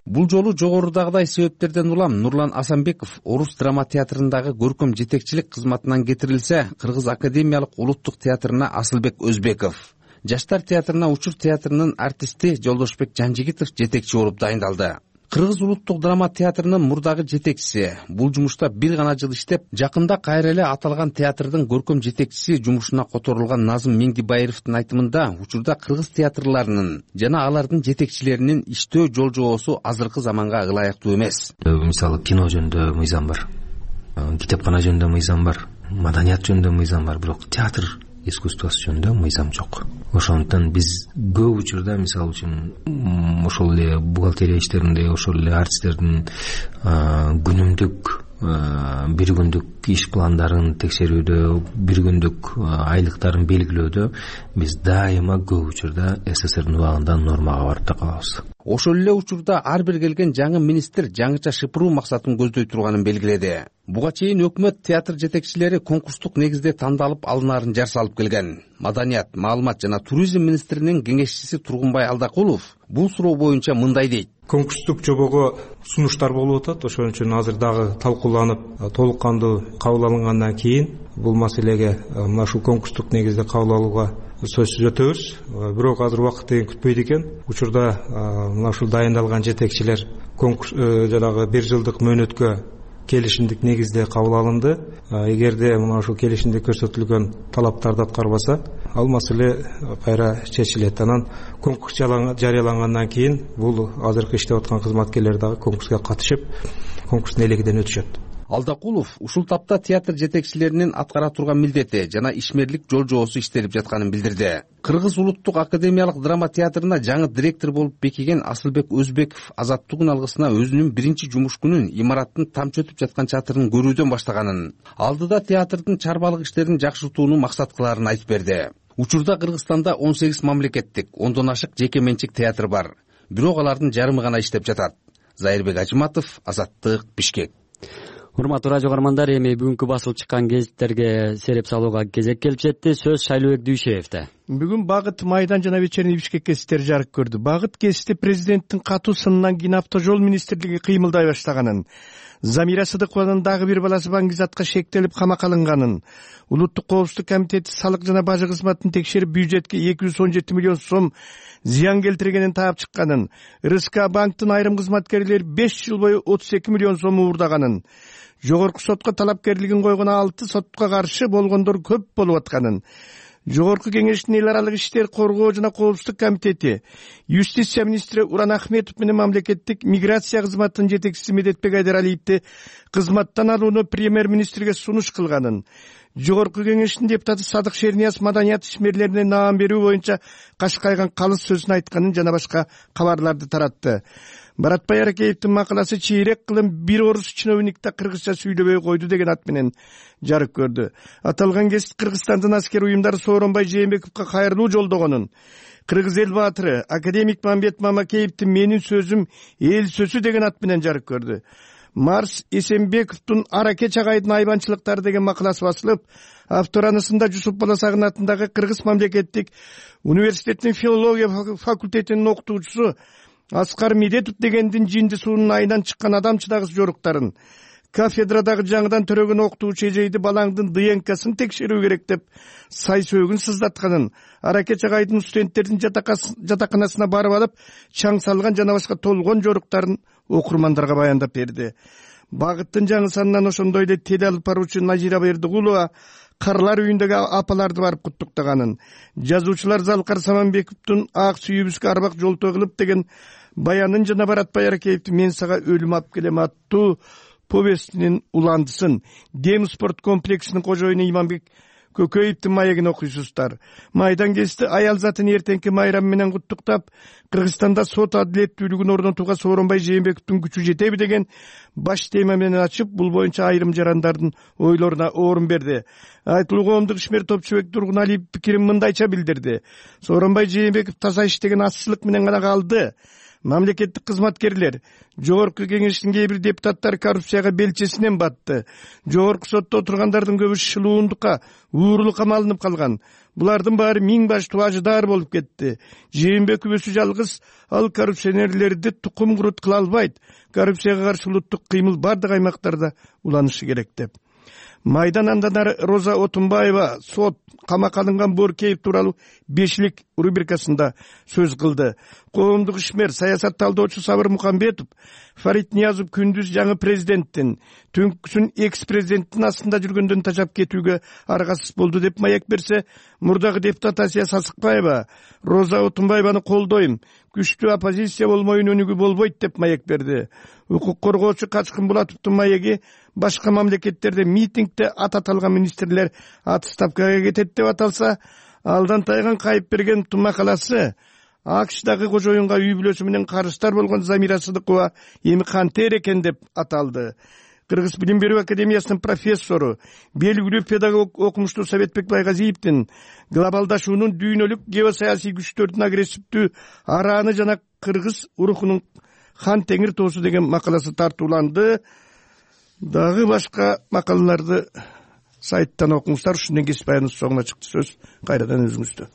Бул жолу жогорудагыдай себептерден улам Нурлан Асанбеков Орус драма театрындагы көркөм жетекчилик кызматынан кетирилсе, Кыргыз академиялык улуттук театрына Асылбек Өзбеков, Жаштар театрына Учур театрынын артисти Жолдошбек Жанжигитов жетекчи болуп дайындалды. Кыргыз улуттук драма театрынын мурдагы жетекчиси бул жумушта бир гана жыл иштеп, жакында кайра эле аталган театрдын көркөм жетекчиси жумушуна которулган Назым Меңдибаевдин айтымында, учурда кыргыз театрларынын жана алардын жетекчилеринин иштөө жол-жобосу азыркы заманга ылайыктуу эмес. Мисалы кино жөнүндө мыйзам бар, китепкана жөнүндө мыйзам бар, маданият жөнүндө мыйзам бар, бирок театр искусствосы жөнүндө мыйзам жок. Ошондуктан биз көп учурда мисалы үчүн ошол эле бухгалтерия иштеринде, ошол эле артисттердин күнүмдүк бир күндүк иш пландарын текшерүүдө, бир күндүк айлыктарын белгилөөдө биз дайыма көп учурда СССРдин убагында нормага барып да калабыз. Ошол эле учурда ар бир келген жаңы министр жаңыча шыпыруу максатын көздөй турганын белгиледи. Буга чейин өкмөт театр жетекчилери конкурстук негизде тандалып алынаарын жар салып келген. Маданият, маалымат жана туризм министринин кеңешчиси Тургунбай Алдакулов бул суроо боюнча мындай дейт. Конкурстук жобого сунуштар болуп атат. Ошон үчүн азыр дагы талкууланып, толук кандуу кабыл алынгандан кийин бул маселеге мына ушул конкурстук негизде кабыл алууга сөзсүз өтөбүз. Бирок азыр убакыт деген күтпөйт экен. Учурда мына ушул дайындалган жетекчилер конкурс жанагы бир жылдык мөөнөткө келишимдик негизде кабыл алынды. Эгерде мына ушул келишимде көрсөтүлгөн талаптарды аткарбаса, ал маселе кайра чечилет. Анан конкурс жарыялангандан кийин бул азыркы иштеп аткан кызматкерлер дагы конкурска катышып, конкурстун элегиден өтүшөт. Алдакулов ушул тапта театр жетекчилеринин аткара турган милдети жана ишмерлик жол жоосу иштелип жатканын билдирди. Кыргыз улуттук академиялык драма театрына жаңы директор болуп бекиген Асылбек Өзбеков азаттыгын алгысына өзүнүн биринчи жумуш күнүн имараттын тамчы өтүп жаткан чатырын көрүүдөн баштаганын, алдыда театрдын чарбалык иштерин жакшыртууну максат кылаарын айтып берди. Учурда Кыргызстанда 18 мамлекеттик, 10дон ашык жеке менчик театр бар. Бирок алардын жарымы гана иштеп жатат. Зайырбек Ажыматов, Азаттык, Бишкек. Урматтуу радио каармандар, эми бүгүнкү басылып чыккан гезиттерге сереп салууга кезек келип жетти. Сөз Шайлообек Дүйшеевде. Бүгүн Багыт, Майдан жана Вечерний Бишкек гезиттери жарык көрдү. Багыт гезити президенттин катуу сынынан кийин автожол министрлиги кыймылдай баштаганын, Замира Сыдыкованын дагы бир баласы Баңгизатка шектелип камакка алынганын, Улуттук коопсуздук комитети салык жана бажы кызматын текшерип бюджетке 217 миллион сом зыян келтиргенин таап чыкканын, РСК банктын айрым кызматкерлери 5 жыл бою 32 миллион сом уурдаганын, Жогорку сотко талапкерлигин койгон 6 сотко каршы болгондор көп болуп атканын, Жогорку кеңештин эл аралык иштер коргоо жана коопсуздук комитети юстиция министри Уран Ахметов менен мамлекеттик миграция кызматынын жетекчиси Медетбек Айдаралиевди кызматтан алууну премьер-министрге сунуш кылганын, Жогорку кеңештин депутаты Садык Шернияз маданият ишмерлерине наам берүү боюнча кашкайган калыс сөзүн айтканын жана башка кабарларды таратты. Баратбай Аракеевдин макаласы чейрек кылым бир орус чиновникте кыргызча сүйлөбөй койду деген ат менен жарык көрдү. Аталган гезит Кыргызстандын аскер уюмдары Сооронбай Жээнбековго кайрылуу жолдогонун, Кыргыз эл баатыры академик Мамбет Мамакеевдин менин сөзүм эл сөзү деген ат менен жарык көрдү. Марс Эсенбековдун Аракеч агайдын айбанчылыктары деген макаласы басылып, авторанысында Жусуп Баласагын атындагы Кыргыз мамлекеттик университетинин филология факультетинин окутуучусу Аскар Медетов дегендин жинди суунун айынан чыккан адамчыдагы жоруктарын, кафедрадагы жаңыдан төрөгөн окутуучу эжейди балаңдын ДНКсын текшерүү керек деп сай сөөгүн сыздатканын, Аракеч агайдын студенттердин жатаканасына барып алып чаң салган жана башка толгон жоруктарын окурмандарга баяндап берди. Багыттын жаңы санынан ошондой эле теле алып баруучу Назира Бердигулова Карлар үйүндөгү апаларды барып куттуктаганын, жазуучулар Залкар Саманбековдун Ак сүйүбүзгө арбак жолтоо кылып деген баянын жана Баратбай Аракеевдин Мен сага өлүм алып келем аттуу повестинин уландысын, Дем спорт комплексинин кожоюну Иманбек Көкөевдин маегин окуйсуздар. Майдан гезити аял затын эртеңки майрам менен куттуктап, Кыргызстанда сот адилеттүүлүгүн орнотууга Сооронбай Жээнбековдун күчү жетеби деген баш тема менен ачып, бул боюнча айрым жарандардын ойлоруна орун берди. Айтылуу коомдук ишмер Топчубек Тургуналиев пикирин мындайча билдирди. Сооронбай Жээнбеков таза иштеген азчылык менен гана калды. Мамлекеттик кызматкерлер, Жогорку кеңештин кээ бир депутаттары коррупцияга белчесинен батты. Жогорку сотто отургандардын көбү шылуундукка, уурулукка малынып калган. Булардын баары миң баш тубажыдар болуп кетти. Жээнбеков өзү жалгыз ал коррупционерлерди тукум курут кыла албайт. Коррупцияга каршы улуттук кыймыл бардык аймактарда уланышы керек деп. Майдан андан ары Роза Отунбаева сот камакка алынган Боркеев тууралуу бешилик рубрикасында сөз кылды. Коомдук ишмер, саясат талдоочу Сабыр Мукамбетов Фарид Ниязов күндүз жаңы президенттин, түнкүсүн экс-президенттин астында жүргөндөн тажап кетүүгө аргасыз болду деп маек берсе, мурдагы депутат Асия Сасыкбаева Роза Отунбаеваны колдойм, күчтүү оппозиция болмойюн өнүгүү болбойт деп маек берди. Укук коргоочу Качкын Булатовдун маеги башка мамлекеттерде митингде ат аталган министрлер отставкага кетет деп аталса, алдан тайган кайып берген макаласы АКШдагы кожоюнга үй бүлөсү менен карыздар болгон Замира Сыдыкова эми кантер экен деп аталды. Кыргыз билим берүү академиясынын профессору, белгилүү педагог окумуштуу Советбек Байгазиевдин глобалдашуунун дүйнөлүк геосаясий күчтөрдүн агрессивдүү арааны жана кыргыз урухунун хан теңир тоосу деген макаласы тартууланды. Дагы башка макалаларды сайттан окуңуздар. Ушундан кесип аяныбыз соңуна чыкты. Сөз кайрадан өзүңүздө.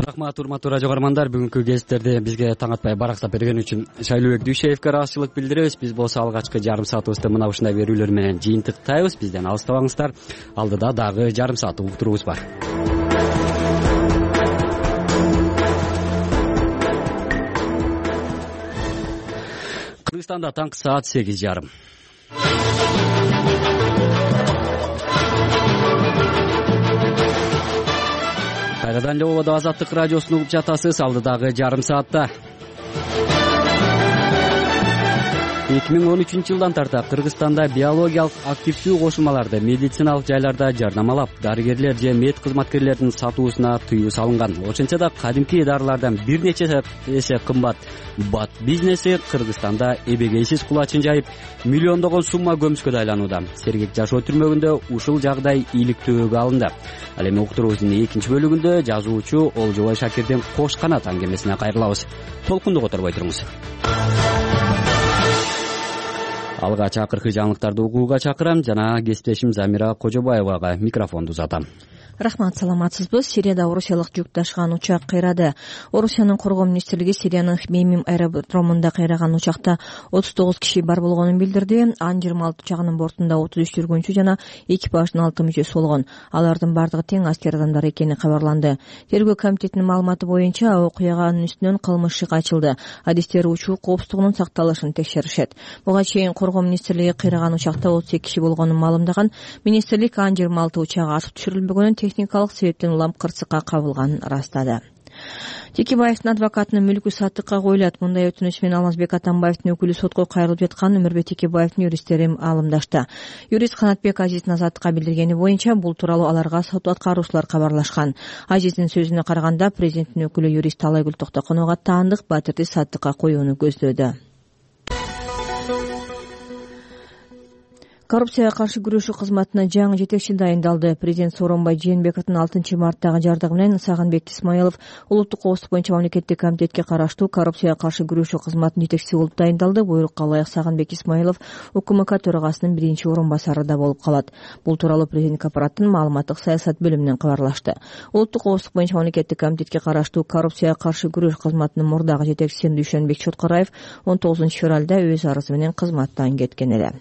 Рахмат, урматтуу радио көрөрмандар. Бүгүнкү кездерди бизге таң атпай барактап берген үчүн Шайлообек Дүйшеевке ыраазычылык билдиребиз. Биз болсо алгачкы жарым саатыбызды мына ушундай берүүлөр менен жыйынтыктайбыз. Бизден алыстабаңыздар. Алдыда дагы жарым саат уктуруубуз бар. Кыргызстанда таңкы саат 8:30. Кайрадан эле ободо Азаттык радиосун угуп жатасыз. Алдыдагы жарым саатта 2013 жылдан тарта Кыргызстанда биологиялык активдүү кошулмаларды медициналык жайларда жарнамалап, дарыгерлер же мед кызматкерлеринин сатуусуна тыюу салынган. Ошентсе да кадимки дарылардан бир нече эсе кымбат бат бизнеси Кыргызстанда эбегейсиз кулачын жайып, миллиондогон сумма көмүскө айланууда. Сергек жашоо түрмөгүндө ушул жагдай ийгиликтүүгө алынды. Ал эми уктуруубуздун экинчи бөлүгүндө жазуучу Олжобой Шакирдин Кош канат аңгемесине кайрылабыз. Толкунду которбой туруңуз. Алгач акыркы жаңылыктарды угууга чакырам жана кесиптешим Замира Кожобаевага микрофонду узатам. Рахмат, саламатсызбы. Сирияда орусиялык жүк ташыган учак кыйрады. Орусиянын коргоо министрлиги Сириянын Хмеймим аэродромунда кыйраган учакта 39 киши бар болгонун билдирди. Ан-26 учагынын бортунда 33 жүргүнчү жана экипаждын 6 мүчөсү болгон. Алардын бардыгы тең аскер адамдар экени кабарланды. Тергөө комитетинин маалыматы боюнча окуяганын үстүнөн кылмыш иши ачылды. Адистер учуу коопсуздугунун сакталышын текшеришет. Буга чейин коргоо министрлиги кыйраган учакта 38 киши болгонун маалымдаган. Министрлик Ан-26 учагы атып түшүрүлбөгөнүн техникалык себептен улам кырсыкка кабылганын ырастады. Текебаевдин адвокатынын мүлкү саттыкка коюлат. Мындай өтүнүч менен Алмазбек Атамбаевдин өкүлү сотко кайрылып жатканын Өмүрбек Текебаевдин юристтери маалымдашты. Юрист Канатбек Азиздин Азаттыкка билдиргени боюнча бул тууралуу аларга сот аткаруучулар кабарлашкан. Азиздин сөзүнө караганда президенттин өкүлү юрист Талайгүл Токтоконова таандык батирди саттыкка коюуну көздөөдө. Коррупцияга каршы күрөшүү кызматына жаңы жетекчи дайындалды. Президент Сооронбай Жээнбековдун 6 марттагы жардыгы менен Сагынбек Исмаилов улуттук коопсуздук боюнча мамлекеттик комитетке караштуу коррупцияга каршы күрөшүү кызматынын жетекчиси болуп дайындалды. Буйрукка ылайык Сагынбек Исмаилов УКМК төрагасынын биринчи орун басары да болуп калат. Бул тууралуу президенттик аппараттын маалыматтык саясат бөлүмүнөн кабарлашты. Улуттук коопсуздук боюнча мамлекеттик комитетке караштуу коррупцияга каршы күрөш кызматынын мурдагы жетекчиси Дүйшөнбек Чоткараев 19 февралда өз арызы менен кызматтан кеткен эле.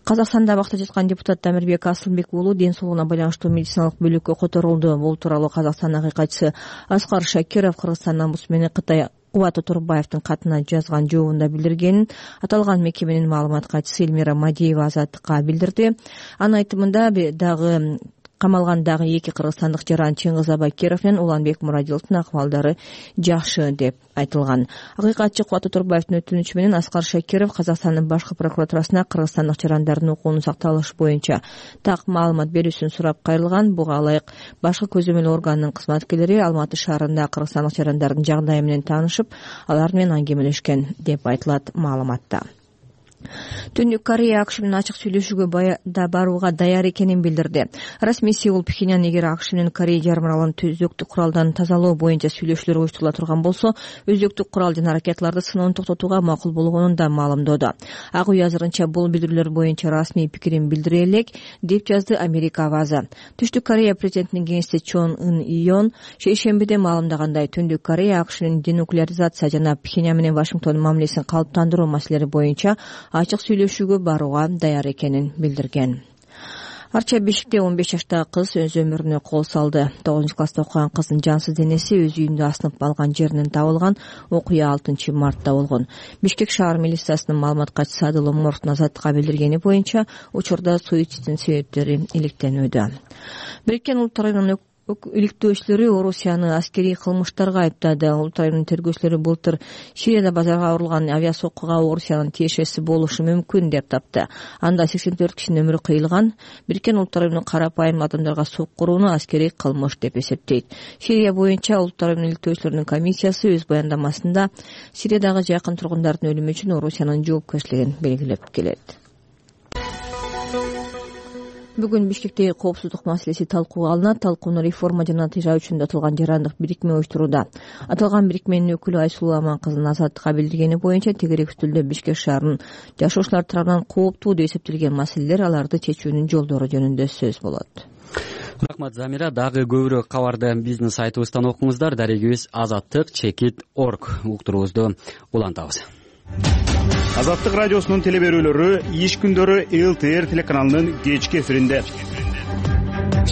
Казакстанда абакта жаткан депутат Дамирбек Асылбек уулу ден соолугуна байланыштуу медициналык бөлүккө которулду. Бул тууралуу Казакстандын акыйкатчысы Аскар Шакиров Кыргызстандын омбудсмени Кытай Кубат Турбаевдин катына жазган жообунда билдиргенин аталган мекеменин маалымат катчысы Эльмира Мадиева Азаттыкка билдирди. Анын айтымында дагы камалгандагы эки кыргызстандык жаран Чыңгыз Абакиров менен Уланбек Мурадиловдун акыбалдары жакшы деп айтылган. Акыйкатчы Кубат Турбаевдин өтүнүчү менен Аскар Шакиров Казакстандын башкы прокуратурасына кыргызстандык жарандардын укугунун сакталышы боюнча так маалымат берүүсүн сурап кайрылган. Буга ылайык башкы көзөмөл органынын кызматкерлери Алматы шаарында кыргызстандык жарандардын жагдайы менен таанышып, алар менен аңгемелешкен деп айтылат маалыматта. Түндүк Корея АКШ менен ачык сүйлөшүүгө барууга даяр экенин билдирди. Расмий Сеул Пхеньян эгер АКШ менен Корея жарым аралын өзөктүк куралдан тазалоо боюнча сүйлөшүүлөр уюштурула турган болсо, өзөктүк курал жана ракеталарды сыноону токтотууга макул болгонун да маалымдоодо. Ак үй азырынча бул билдирүүлөр боюнча расмий пикирин билдире элек деп жазды Америка авазы. Түштүк Корея президентинин кеңешчиси Чон Ын Ион шейшембиде маалымдагандай, Түндүк Корея АКШнын денуклеаризация жана Пхеньян менен Вашингтондун мамилесин калыптандыруу маселелери боюнча ачык сүйлөшүүгө барууга даяр экенин билдирген. Арча Бишикте 15 жаштагы кыз өз өмүрүнө кол салды. 9-класста окуган кыздын жансыз денеси өз үйүндө асынып алган жеринен табылган. Окуя 6 мартта болгон. Бишкек шаар милициясынын маалымат катчысы Адыл Оморовдун Азаттыкка билдиргени боюнча учурда суицидтин себептери иликтенүүдө. Бириккен Улуттар Уюмунун иликтөөчүлөрү Орусияны аскерий кылмыштарга айыптады. Улуттар Уюмунун тергөөчүлөрү былтыр Сирияда базарга урулган авиасоккуга Орусиянын тиешеси болушу мүмкүн деп тапты. Анда 84 кишинин өмүрү кыйылган. Бириккен Улуттар Уюмунун карапайым адамдарга соккурууну аскерий кылмыш деп эсептейт. Сирия боюнча Улуттар Уюмунун иликтөөчүлөрүнүн комиссиясы өз баяндамасында Сириядагы жакын тургундардын өлүмү үчүн Орусиянын жоопкерчилигин белгилеп келет. Бүгүн Бишкектеги коопсуздук маселеси талкууга алынат. Талкууну реформа жана тыжаа атылган жарандык бирикме уюштурууда. Аталган бирикменин өкүлү Айсулуу Аманкызынын Азаттыкка билдиргени боюнча тегерек үстүлдө Бишкек шаарынын жашоочулар тарабынан кооптуу деп эсептелген маселелер, аларды чечүүнүн жолдору жөнүндө сөз болот. Рахмат Замира. Дагы көбүрөөк кабарды биздин сайтыбыздан окуңуздар. Дарегибиз azattik.org уктуруубузду улантабыз. Азаттык радиосунун телеберүүлөрү иш күндөрү ЛТР телеканалынын кечки эфиринде.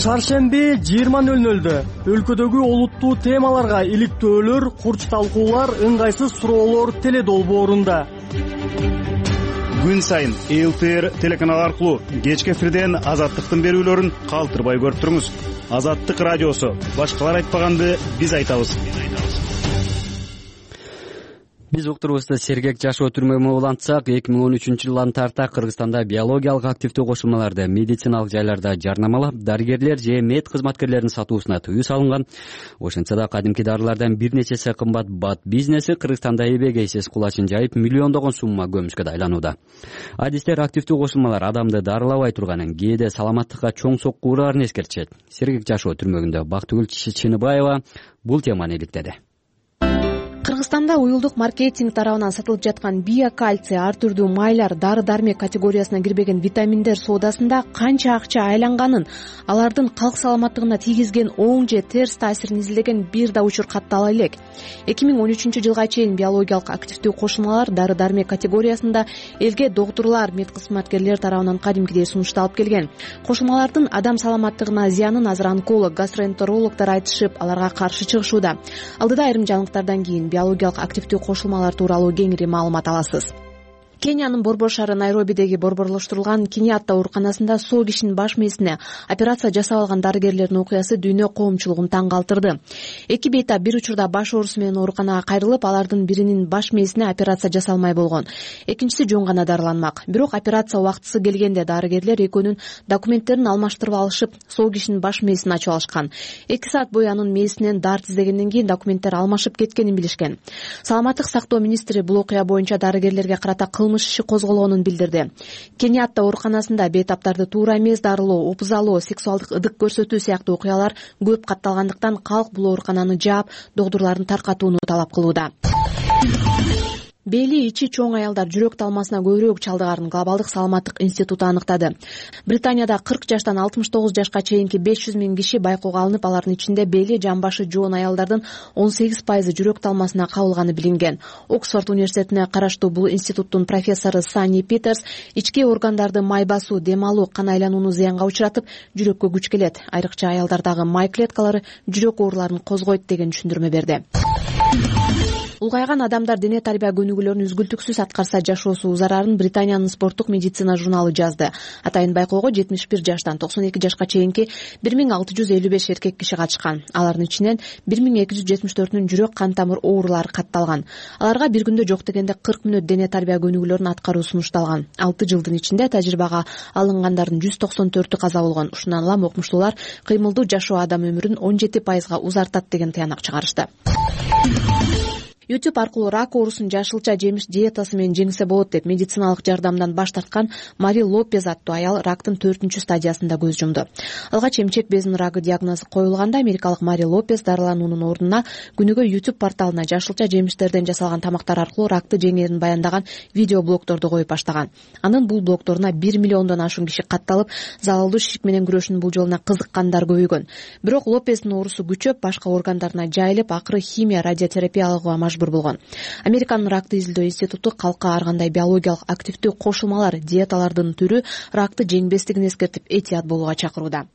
Шаршемби 20:00 өлкөдөгү олуттуу темаларга иликтөөлөр, курч талкуулар, ыңгайсыз суроолор теледолбоорунда. Күн сайын ЛТР телеканалы аркылуу кечки эфирден Азаттыктын берүүлөрүн калтырбай көрүп туруңуз. Азаттык радиосу. Башкалар айтпаганды биз айтабыз. Биз уктуруубузду сергек жашоо түрмөгү улантсак, 2013 жылдан тарта Кыргызстанда биологиялык активдүү кошулмаларды медициналык жайларда жарнамалап, дарыгерлер же мед кызматкерлеринин сатуусуна тыюу салынган. Ошентсе да кадимки дарылардан бир нечеси кымбат бат бизнеси Кыргызстанда эбегейсиз кулачын жайып, миллиондогон сумма көмүшкө айланууда. Адистер активдүү кошулмалар адамды дарылабай турганын, кээде саламаттыкка чоң сокку ураарын эскертишет. Сергек жашоо түрмөгүндө Бактыгүл Чыныбаева бул теманы иликтеди. Кыргызстанда уюлдук маркетинг тарабынан сатылып жаткан биокальций, ар түрдүү майлар, дары-дармек категориясына кирбеген витаминдер соодасында канча акча айланганын, алардын калк саламаттыгына тийгизген оң же терс таасирин изилдеген бир да учур каттала элек. 2013 жылга чейин биологиялык активдүү кошулмалар дары-дармек категориясында элге доктурлар, мед кызматкерлер тарабынан кадимкидей сунушталып келген. Кошулмалардын адам саламаттыгына зыянын азыр онколог, гастроэнтерологдор айтышып, аларга каршы чыгышууда. Алдыда айрым жаңылыктардан кийин биологиялык активдүү кошулмалар тууралуу кеңири маалымат аласыз. Кениянын борбор шаары Найробидеги борборлоштурулган Киниатта ооруканасында соо кишинин баш мээсине операция жасап алган дарыгерлердин окуясы дүйнө коомчулугун таң калтырды. Эки бейтап бир учурда баш оорусу менен ооруканага кайрылып, алардын биринин баш мээсине операция жасалмай болгон. Экинчиси жөн гана дарыланмак. Бирок операция убактысы келгенде дарыгерлер экөөнүн документтерин алмаштырып алышып, соо кишинин баш мээсин ачып алышкан. 2 саат бою анын мээсинен дарт издегенден кийин документтер алмашып кеткенин билишкен. Саламаттык сактоо министри бул окуя боюнча дарыгерлерге карата кылмыш иши козголгонун билдирди. Кениатта ооруканасында бейтаптарды туура эмес дарылоо, опузалоо, сексуалдык ыдык көрсөтүү сыяктуу окуялар көп катталгандыктан калк бул оорукананы жаап, доктурлардын таркатууну талап кылууда. Бели ичи чоң аялдар жүрөк талмасына көбүрөөк чалдыгарын Глобалдык саламаттык институту аныктады. Британияда 40 жаштан 69 жашка чейинки 500 000 киши байкоого алынып, алардын ичинде бели, жамбашы жоон аялдардын 18% жүрөк талмасына кабылганы билинген. Оксфорд университетине караштуу бул институттун профессору Сани Питерс ички органдарды май басуу, дем алуу, кан айланууну зыянга учуратып, жүрөккө күч келет. Айрыкча аялдардагы май клеткалары жүрөк ооруларын козгойт деген түшүндүрмө берди. Улгайган адамдар дене тарбия көнүгүүлөрүн үзгүлтүксүз аткарса жашоосу зарарын Британиянын спорттук медицина журналы жазды. Атайын байкоого 71 жаштан 92 жашка чейинки 1655 эркек киши катышкан. Алардын ичинен 1274-үнүн жүрөк кан тамыр оорулары катталган. Аларга бир күндө жок дегенде 40 мүнөт дене тарбия көнүгүүлөрүн аткаруу сунушталган. 6 жылдын ичинде тажрыйбага алынгандардын 194-ü каза болгон. Ушундан улам окумуштуулар кыймылдуу жашоо адам өмүрүн 17% узартат деген тыянак чыгарышты. YouTube аркылуу рак оорусун жашылча жемиш диетасы менен жеңсе болот деп медициналык жардамдан баш тарткан Мари Лопез аттуу аял рактын 4-стадиясында көз жумду. Алгач эмчек безинин рагы диагнозу коюлганда америкалык Мари Лопез дарылануунун ордуна күнүгө YouTube порталына жашылча жемиштерден жасалган тамактар аркылуу ракты жеңээрин баяндаган видео блогторду коюп баштаган. Анын бул блогторуна 1 миллиондон ашуун киши катталып, залалдуу ишик менен күрөшүүнүн бул жолуна кызыккандар көбөйгөн. Бирок Лопездин оорусу күчөп, башка органдарына жайылып, акыры химия, радиотерапия алууга мажбур болгон. Американын ракты изилдөө институту калкка ар кандай биологиялык активдүү кошулмалар, диеталардын түрү ракты жеңбестигин эскертип, этият болууга чакырууда.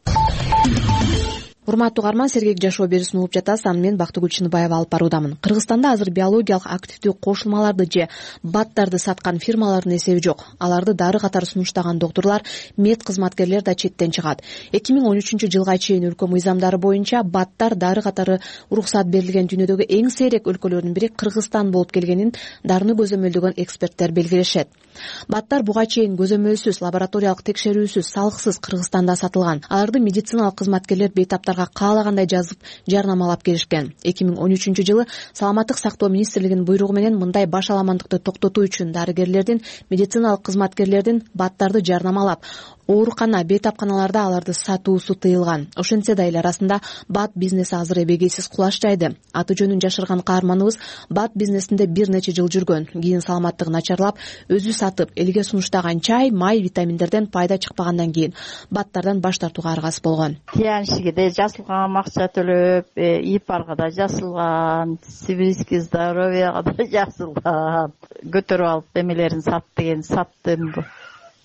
Урматтуу угарман, сергек жашоо берүүсүн угуп жатасыз. Аны мен Бактыгүл Чыныбаева алып баруудамын. Кыргызстанда азыр биологиялык активдүү кошулмаларды же баттарды саткан фирмалардын эсеби жок. Аларды дары катары сунуштаган доктурлар, мед кызматкерлер да четтен чыгат. 2013 жылга чейин өлкө мыйзамдары боюнча баттар дары катары уруксат берилген дүйнөдөгү эң сейрек өлкөлөрдүн бири Кыргызстан болуп келгенин дарыны көзөмөлдөгөн эксперттер белгилешет. Баттар буга чейин көзөмөлсүз, лабораториялык текшерүүсүз, салыксыз Кыргызстанда сатылган. Аларды медициналык кызматкерлер бейтаптарга каалагандай жазып, жарнамалап келишкен. 2013 жылы Саламаттык сактоо министрлигинин буйругу менен мындай баш аламандыкты токтотуу үчүн дарыгерлердин, медициналык кызматкерлердин баттарды жарнамалап, оорукана, бейтапканаларда аларды сатуусу тыйылган. Ошентсе да эл арасында бат бизнеси азыр эбегейсиз кулаш жайды. Аты жөнүн жашырган каарманыбыз бат бизнесинде бир нече жыл жүргөн. Кийин саламаттыгы начарлап, өзү сатып, элге сунуштаган чай, май, витаминдерден пайда чыкпагандан кийин баттардан баш тартууга аргасыз болгон. Тияншиге да жазылган, акча төлөп, ИПАРга да жазылган, Сибирский здоровьяга да жазылган. Көтөрүп алып эмелерин сат деген саттым.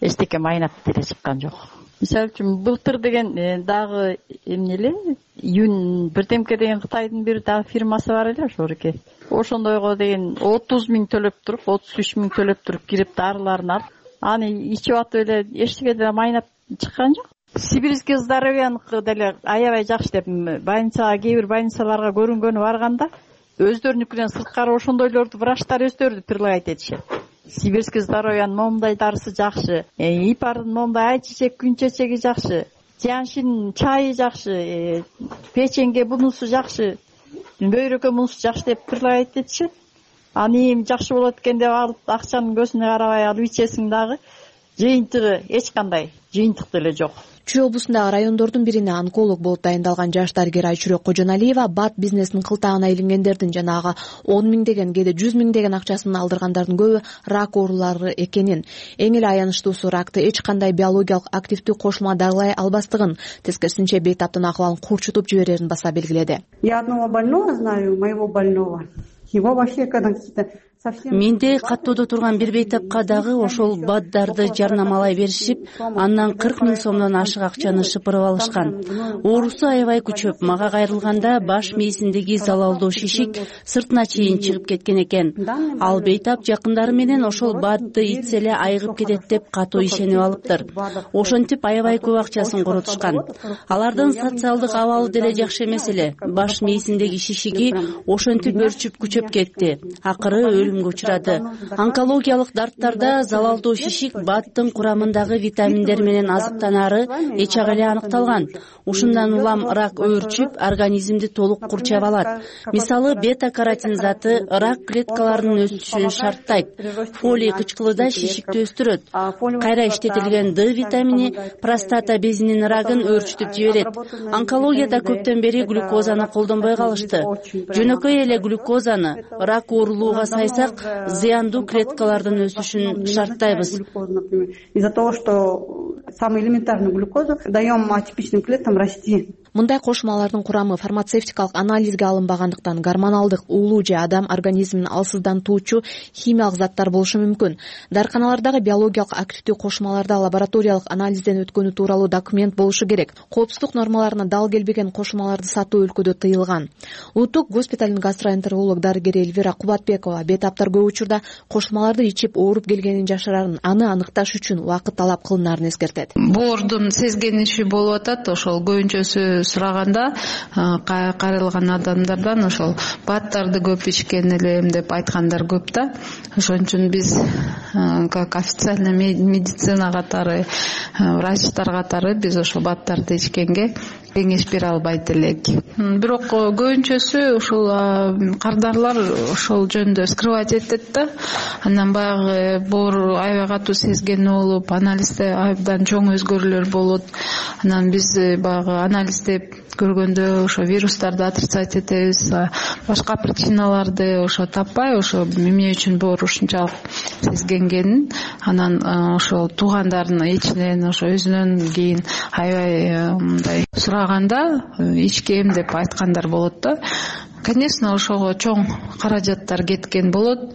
Эчтеке майнап деле чыккан жок. Мисалы үчүн былтыр деген дагы эмне эле Юн бирдемке деген Кытайдын бир дагы фирмасы бар эле ошоруке. Ошондойго деген 30 000 төлөп туруп, 33 000 төлөп туруп кирип дарыларын алып, аны ичип атып эле эчтеке деле майнап чыккан жок. Сибирский здоровьяныкы деле аябай жакшы деп больницага, кээ бир больницаларга көрүнгөнү барганда өздөрүнүкүнөн сырткары ошондойлорду врачтар өздөрү предлагать этишет. Сибирский здоровьянын момундай дарысы жакшы, ИПАРдын момундай айчечек, күн чечеги жакшы, Тияншинин чайы жакшы, печеньге бунусу жакшы, бөйрөккө бунусу жакшы деп предлагать этишет. Аны эми жакшы болот экен деп алып, акчанын көзүнө карабай алып ичесиң дагы жыйынтыгы эч кандай жыйынтык деле жок. Чүй облусундагы райондордун бирине онколог болуп дайындалган жаш дарыгер Айчүрөк Кожоналиева бат бизнесинин кылтагына илингендердин жанагы 10 миңдеген, кээде 100 миңдеген акчасын алдыргандардын көбү рак оорулары экенин, эң эле аянычтуусу ракты эч кандай биологиялык активдүү кошулма дарылай албастыгын, тескерисинче бейтаптын акыбалын курчутуп жиберерин баса белгиледи. Я одного больного знаю, моего больного. Его вообще когда Менде каттоодо турган бир бейтапка дагы ошол баттарды жарнамалай беришип, андан 40 000 сомдон ашык акчаны шыпырып алышкан. Оорусу аябай күчөп, мага кайрылганда баш мээсиндеги залалдуу шишик сыртына чейин чыгып кеткен экен. Ал бейтап жакындары менен ошол батты ичсе эле айыгып кетет деп катуу ишенип алыптыр. Ошентип аябай көп акчасын коротушкан. Алардын социалдык абалы деле жакшы эмес эле. Баш мээсиндеги шишиги ошентип өрчүп күчөп кетти. Акыры учурады. Онкологиялык дарттарда залалдуу шишик баттын курамындагы витаминдер менен азыктанары эчак эле аныкталган. Ушундан улам рак өөрчүп, организмди толук курчап алат. Мисалы, бета-каротин заты рак клеткаларынын өсүшүн шарттайт. Фолий кычкылыда шишикти өстүрөт. Кайра иштетилген Д витамини простата безинин рагын өөрчүтүп жиберет. Онкологияда көптөн бери глюкозаны колдонбой калышты. Жөнөкөй эле глюкозаны рак оорулууга сайса зыяндуу клеткалардын өсүшүн шарттайбыз. Из-за того, что самый элементарный глюкозу даем атипичным клеткам расти. Мындай кошмалардын курамы фармацевтикалык анализге алынбагандыктан гормоналдык уулуу же адам организмин алсыздантуучу химиялык заттар болушу мүмкүн. Дарыканалардагы биологиялык активдүү кошмаларда лабораториялык анализден өткөнү тууралуу документ болушу керек. Коопсуздук нормаларына дал келбеген кошмаларды сатуу өлкөдө тыйылган. Улуттук госпиталдын гастроэнтеролог дарыгери Эльвира Кубатбекова бейтаптар көп учурда кошмаларды ичип ооруп келгенин жашырарын, аны аныкташ үчүн убакыт талап кылынаарын эскертет. Боордун сезгениши болуп атат. Ошол көбүнчөсү сураганда кайрылган адамдардан ошол баттарды көп ичкен элем деп айткандар көп да. Ошон үчүн биз как официальный медицина катары, врачтар катары биз ошол баттарды ичкенге кеңеш бере албайт элек. Бирок көбүнчөсү ушул кардарлар ошол жөнүндө скрывать этет да. Андан баягы боор аябай катуу сезген болуп, анализде абдан чоң өзгөрүүлөр болот. Анан биз баягы анализдеп көргөндө ошо вирустарды отрицать этебиз, башка причиналарды ошо таппай, ошо эмне үчүн боор ушунчалык сезгенгенин, анан ошол туугандарынын ичинен ошо өзүнөн кийин аябай мындай сураганда ичкем деп айткандар болот да. Конечно, ошого чоң каражаттар кеткен болот,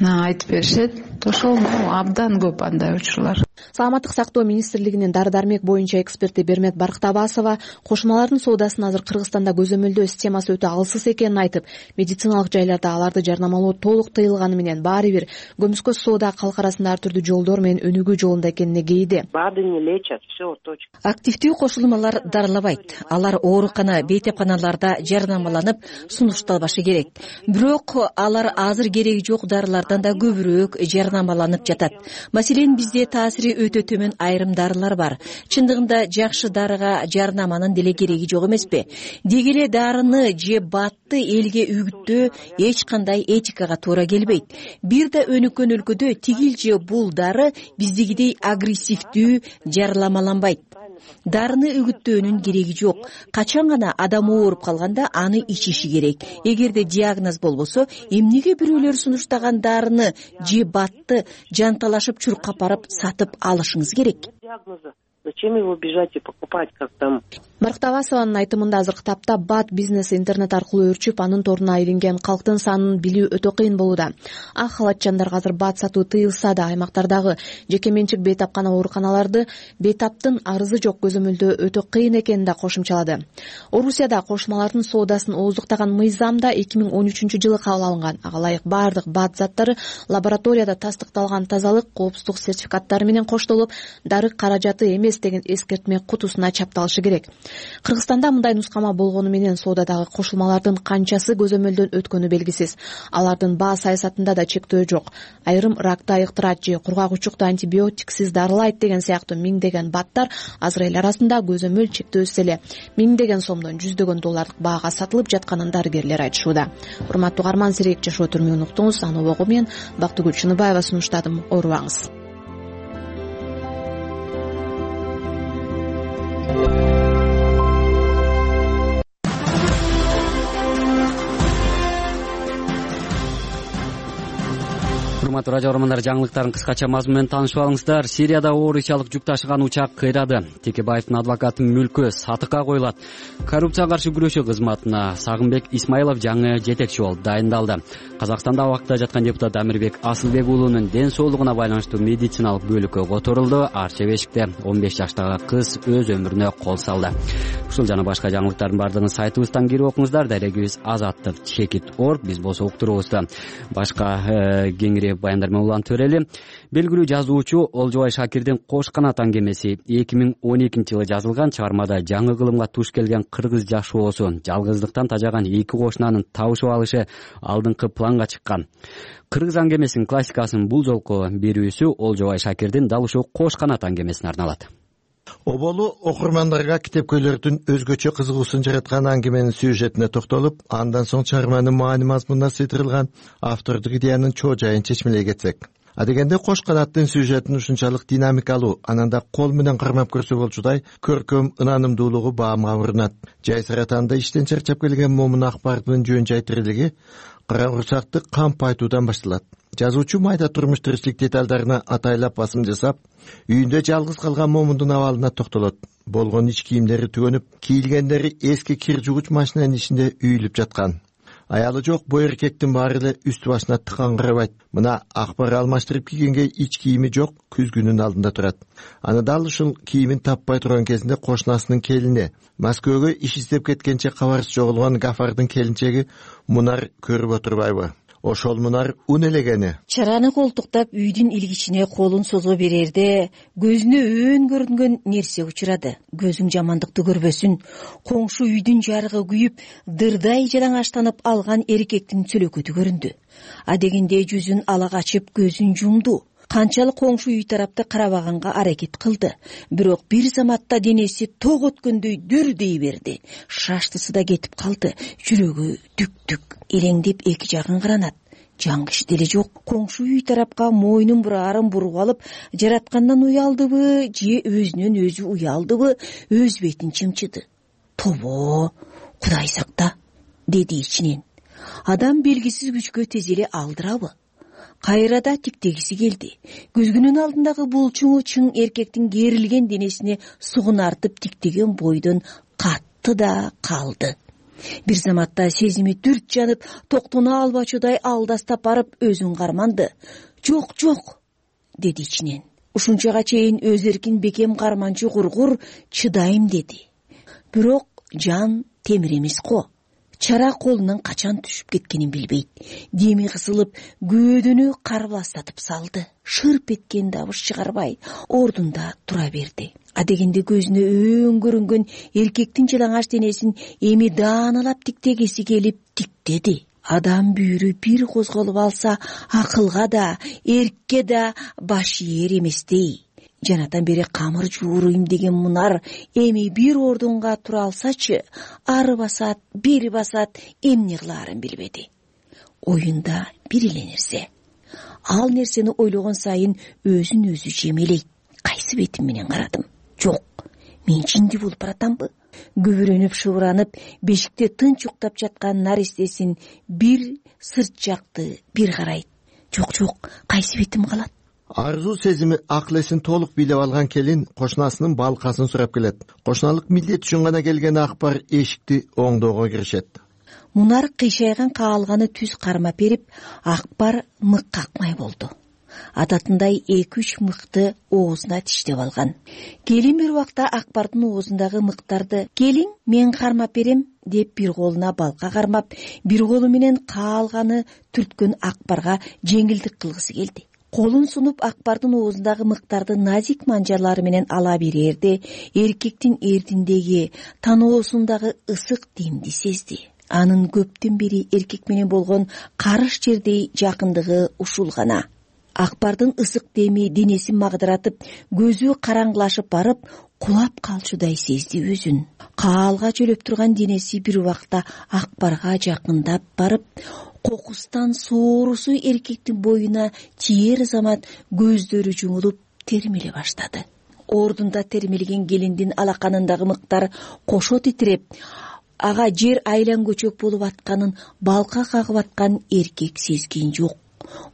айтып беришет. Ошол абдан көп андай учурлар. Саламаттык сактоо министрлигинин дары-дармек боюнча эксперти Бермет Барктабасова кошмалардын соодасын азыр Кыргызстанда көзөмөлдөө системасы өтө алсыз экенин айтып, медициналык жайларда аларды жарнамалоо толук тыйылганы менен баары бир көмүскө соода калк арасында ар түрдүү жолдор менен өнүгүү жолунда экенине кейиди. БАДы не лечат, все точно. Активдүү кошулмалар дарылабайт. Алар оорукана, бейтапканаларда жарнамаланып сунушталбашы керек. Бирок алар азыр кереги жок дарылардан да көбүрөөк жарнама жарнамаланып жатат. Маселен, бизде таасири өтө төмөн айрым дарылар бар. Чындыгында жакшы дарыга жарнаманын деле кереги жок эмеспи? Деги эле дарыны же батты элге үгүттөө эч кандай этикага туура келбейт. Бир да өнүккөн өлкөдө тигил же бул дары биздегидей агрессивдүү жарнамаланбайт. Дарыны үгүттөөнүн кереги жок. Качан гана адам ооруп калганда аны ичиши керек. Эгерде диагноз болбосо, эмнеге бирөөлөр сунуштаган дарыны же батты жанталашып чуркап барып сатып алышыңыз керек? Зачем его бежать и покупать, как там? Маркт Абасованын айтымында азыркы тапта бат бизнеси интернет аркылуу өрчүп, анын торуна илинген калктын санын билүү өтө кыйын болууда. Ак халатчандарга азыр бат сатуу тыйылса да, аймактардагы жеке менчик бейтапкана ооруканаларды бейтаптын арызы жок көзөмөлдөө өтө кыйын экенин да кошумчалады. Орусияда кошмалардын соодасын ооздуктаган мыйзам да 2013-жылы кабыл алынган. Ага ылайык бардык бат заттары лабораторияда тастыкталган тазалык, коопсуздук сертификаттары менен коштолуп, дары каражаты эмес деген эскертме кутусуна чапталышы керек. Кыргызстанда мындай нускама болгону менен соодадагы кошулмалардын канчасы көзөмөлдөн өткөнү белгисиз. Алардын баа саясатында да чектөө жок. Айрым ракты айыктырат же кургагучукту антибиотиксиз дарылайт деген сыяктуу миңдеген баттар азыр эл арасында көзөмөл чектөөсүз эле миңдеген сомдон $100 баага сатылып жатканын дарыгерлер айтышууда. Урматтуу угарман, Сирек жашоо түрмөгүн уктуңуз. Аны обого мен Бактыгүл Чыныбаева сунуштадым. Оорубаңыз. Урматтуу радио көрөрмандар, жаңылыктардын кыскача мазмуну менен таанышып алыңыздар. Сирияда орусиялык жүк ташыган учак кыйрады. Текебаевдин адвокатын мүлкү сатыкка коюлат. Коррупцияга каршы күрөшүү кызматына Сагынбек Исмаилов жаңы жетекчи болуп дайындалды. Казакстанда абакта жаткан депутат Амирбек Асылбек уулунун ден соолугуна байланыштуу медициналык бөлүккө которулду. Арча бешикте 15 жаштагы кыз өз өмүрүнө кол салды. Ушул жана башка жаңылыктардын баардыгын сайтыбыздан кирип окуңуздар. Дарегибиз azattik.org. Биз болсо уктуруубузда башка кеңири баяндар менен улантып берели. Белгилүү жазуучу Олжобай Шакирдин Кош канат аңгемеси 2012-жылы жазылган. Чыгармада жаңы кылымга туш келген кыргыз жашоосу, жалгыздыктан тажаган эки кошунанын табышып алышы алдыңкы планга чыккан. Кыргыз аңгемесинин классикасынын бул жолку берүүсү Олжобай Шакирдин дал ушул Кош канат аңгемесине арналат. Оболу окурмандарга китепкөйлөрдүн өзгөчө кызыгуусун жараткан аңгеменин сюжетине токтолуп, андан соң чыгарманын маани мазмунуна сыйдырылган автордук идеянын чоо жайын чечмелей кетсек. Адегенде Кош канаттын сюжетин ушунчалык динамикалуу, ананда кол менен кармап көрсө болчудай көркөм ынанымдуулугу баамга урунат. Жай саратанда иштен чарчап келген момун акбардын жөн жай тирилиги караңгычакты камп айтуудан башталат. Жазуучу майда турмуш тиричилик деталдарына атайлап басым жасап, үйүндө жалгыз калган момундун абалына токтолот. Болгон ич кийимдери түгөнүп, кийилгендери эски кир жугуч машинанын ичинде үйүлүп жаткан. Аялы жок бу эркектин баары эле үстү башына тыкаңгырабайт. Мына акбар алмаштырып кийгенге ич кийими жок, күзгүнүн алдында турат. Аны дал ушул кийимин таппай турган кезинде кошунасынын келини, Москвага иш издеп кеткенче кабарсыз жоголгон Гафардын келинчеги Мунар көрүп отурбайбы? Ошол Мунар ун элегени. Чараны колтуктап үйдүн илгичине колун созо берерде көзүнө өөн көрүнгөн нерсе учурады. Көзүң жамандыкты көрбөсүн. Коңшу үйдүн жарыгы күйүп, дырдай жалаңачтанып алган эркектин сөлөкөтү көрүндү. Адегенде жүзүн ала качып көзүн жумду. Канчалык коңшу үй тарапты карабаганга аракет кылды. Бирок бир заматта денеси ток өткөндөй дүрдей берди. Шаштысы да кетип калды. Жүрөгү дүк-дүк элеңдеп эки жагын каранат. Жаңгыш деле жок. Коңшу үй тарапка мойнун бурарын буруп алып, жараткандан уялдыбы же өзүнөн өзү уялдыбы, өз бетин чымчыды. Тобо, Кудай сакта, деди ичинен. Адам белгисиз күчкө тез эле алдырабы? Кайрада тиктегиси келди. Көзгүнүн алдындагы булчуңу чың эркектин керилген денесине сугунартып тиктеген бойдон катты да калды. Бир заматта сезими дүрт жанып, токтоно албачудай алдастап барып өзүн карманды. Жок, жок, деди ичинен. Ушунчага чейин өз эркин бекем карманчу кургур чыдайм деди. Бирок жан темир эмес го. Чара колунан качан түшүп кеткенин билбейт. Деми кысылып, көөдөнү карбастатып салды. Шырп эткен дабыш чыгарбай, ордунда тура берди. Адегенде көзүнө өөн көрүнгөн эркектин жалаңач денесин эми дааналап тиктегиси келип тиктеди. адам бүйүрү бир козголуп алса акылга да эркке да баш ээр эместей. Жанатан бери камыр жууруйм деген Мунар эми бир ордунга тура алсачы, ары басат, бери басат, эмне кылаарын билбеди. Оюнда бир эле нерсе. Ал нерсени ойлогон сайын өзүн өзү жемелейт. Кайсы бетим менен карадым? Жок, мен жинди болуп баратамбы? Күбүрөнүп шыбыранып, бешикте тынч уктап жаткан наристесин бир сырт жакты бир карайт. Жок, кайсы бетим калат? Арзуу сезими акыл эсин толук бийлеп алган келин кошунасынын балкасын сурап келет. Кошуналык милдет үчүн гана келген Акбар эшикти оңдоого киришет. Мунар кыйшайган каалганы түз кармап берип, Акбар мык какмай болду. Адатындай 2-3 мыкты оозуна тиштеп алган. Келин бир убакта Акбардын оозундагы мыктарды "Келиң, мен кармап берем" деп бир колуна балка кармап, бир колу менен каалганы түрткөн Акбарга жеңилдик кылгысы келди. Колун сунуп Акбардын оозундагы мыктарды назик манжалары менен ала берерде, эркектин эрдиндеги, таноосундагы ысык демди сезди. Анын көптөн бери эркек менен болгон карыш жердей жакындыгы ушул гана. Акбардын ысык деми денесин магдыратып, көзү караңгылашып барып, кулап калчудай сезди өзүн. Каалга жөлөп турган денеси бир убакта Акбарга жакындап барып, кокустан соорусу эркектин боюна тиер замат көздөрү жумулуп термеле баштады. Ордунда термелген келиндин алаканындагы мыктар кошо титиреп, ага жер айлан көчөк болуп атканын балка кагып аткан эркек сезген жок.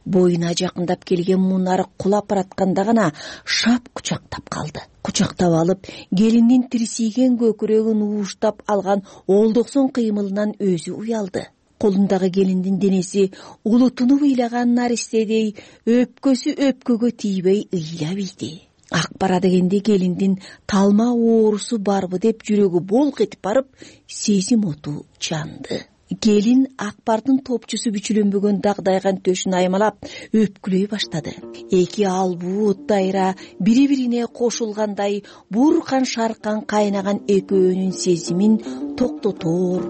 Боюна жакындап келген Мунар кулап баратканда гана шап кучактап калды. Кучактап алып, келиндин тирсийген көкүрөгүн ууштап алган олдоксон кыймылынан өзү уялды. Колундагы келиндин денеси улутунуп ыйлаган наристедей өпкөсү өпкөгө тийбей ыйлап ийди. Акбара дегенде келиндин талма оорусу барбы деп жүрөгү болк этип барып, сезим оту жанды. Келин Акбардын топчусу бүчүлөнбөгөн дагдайган төшүн аймалап өпкүлөй баштады. Эки албуу дайра бири-бирине кошулгандай буркан шаркан кайнаган экөөнүн сезимин токтотоор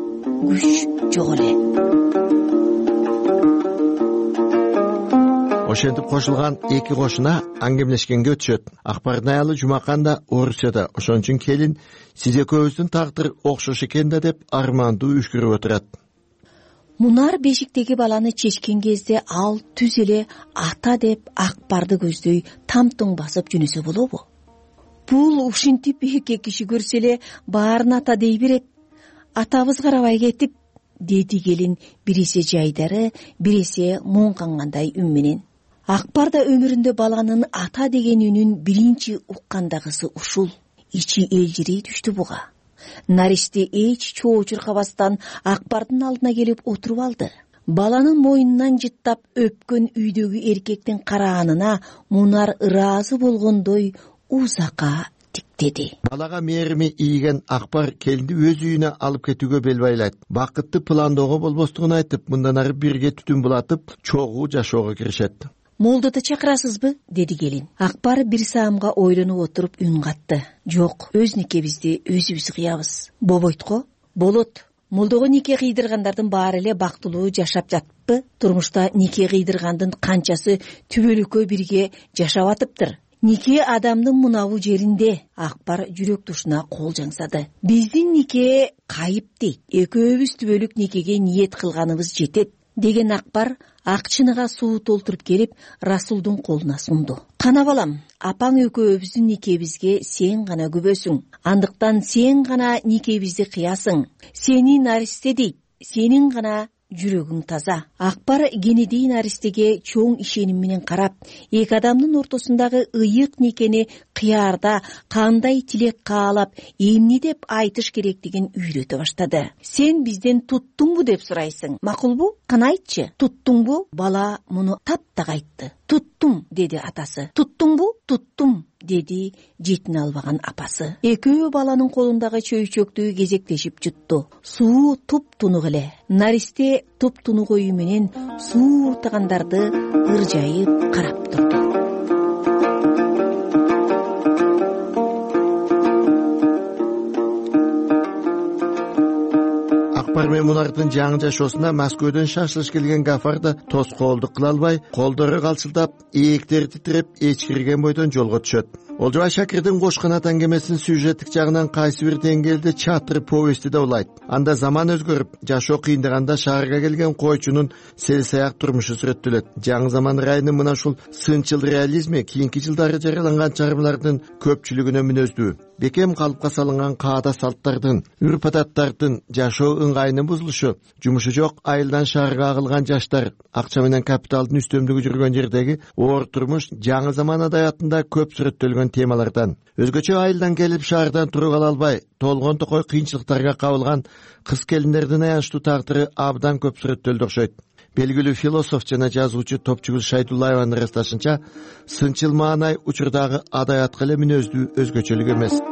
күч жок эле. Ошентип кошулган эки кошуна аңгемелешкенге өтүшөт. Акбардын аялы Жумакан да Орусияда. Ошон үчүн келин "Сиз экөөбүздүн тагдыр окшош экен да" деп армандуу үшкүрүп отурат. Мунар бешиктеги баланы чечкен кезде ал түз эле ата деп Акбарды көздөй тамтоң басып жөнөсө болобу? Бул ушинтип эки киши көрсө эле баарын ата дей берет. Атабыз карабай кетип, деди келин бирисе жайдары, бирисе муңкангандай үн менен. Акбар да өмүрүндө баланын ата деген үнүн биринчи уккандагысы ушул. Ичи элжирей түштү буга. Наристе эч чоо чуркабастан Акбардын алдына келип отуруп алды. Баланын мойнунан жыттап өпкөн үйдөгү эркектин караанына Мунар ыраазы болгондой узакка тиктеди. Балага мээрими ийген Акбар келинди өз үйүнө алып кетүүгө бел байлайт. Бакытты пландоого болбостугун айтып, мындан ары бирге түтүн булатып, чогуу жашоого киришет. Молдоду чакырасызбы? Деди келин. Акбар бир саамга ойлонуп отуруп үн катты. Жок, өз никебизди өзүбүз кыябыз. Болбойт го? Болот. Молдого нике кыйдыргандардын баары эле бактылуу жашап жатпы? Турмушта нике кыйдыргандын канчасы түбөлүккө бирге жашап атыптыр. Нике адамдын мунабу жеринде. Акбар жүрөк тушуна кол жаңсады. Биздин нике кайып дейт. Экөөбүз түбөлүк никеге ниет кылганыбыз жетет деген Акбар акчыныга суу толтуруп келип Расулдун колуна сунду. Кана балам, апаң экөөбүздүн никебизге сен гана күбөсүң. Андыктан сен гана никебизди кыясың. Сени наристе дейт. Сенин гана жүрөгүң таза. Акбар кенедей наристеге чоң ишеним менен карап, эки адамдын ортосундагы ыйык никени кыярда кандай тилек каалап, эмне деп айтыш керектигин үйрөтө баштады. Сен бизден туттуңбу деп сурайсың. Макулбу? Кана айтчы. Туттуңбу? Бала муну таптак айтты. Туттум, деди атасы. Туттуңбу? Туттум, деди жетине албаган апасы. Экөө баланын колундагы чөйчөктү кезектешип жутту. Суу туп-тунук эле. Наристе туп-тунук ою менен суу уртагандарды ыржайып карап турду. Акбар менен мунардын жаңы жашоосуна Москвадөн шашылыш келген Гафар да тоскоолдук кыла албай, колдору калчылдап, ээктери титиреп, эчкирген бойдон жолго түшөт. Олжобай Шакирдин Кош канат аңгемесинин сюжеттик жагынан кайсы бир деңгээлде чатыр повести да улайт. Анда заман өзгөрүп, жашоо кыйындаганда шаарга келген койчунун селсаяк турмушу сүрөттөлөт. Жаңы заман райынын мына ушул сынчыл реализми кийинки жылдары жарыяланган чыгармалардын көпчүлүгүнө мүнөздүү. Бекем калыпка салынган каада салттардын, үрп-адаттардын, жашоо ыңгайынын бузулушу, жумушу жок айылдан шаарга агылган жаштар, акча менен капиталдын үстөмдүгү жүргөн жердеги оор турмуш жаңы заман адаятында көп сүрөттөлгөн темалардан. Өзгөчө айылдан келип шаардан туруп ала албай, толгон токой кыйынчылыктарга кабылган кыз келиндердин аянычтуу тагдыры абдан көп сүрөттөлдү окшойт. Белгилүү философ жана жазуучу Топчугүл Шайдуллаеванын ырасташынча, сынчыл маанай учурдагы адаятка эле мүнөздүү өзгөчөлүк эмес.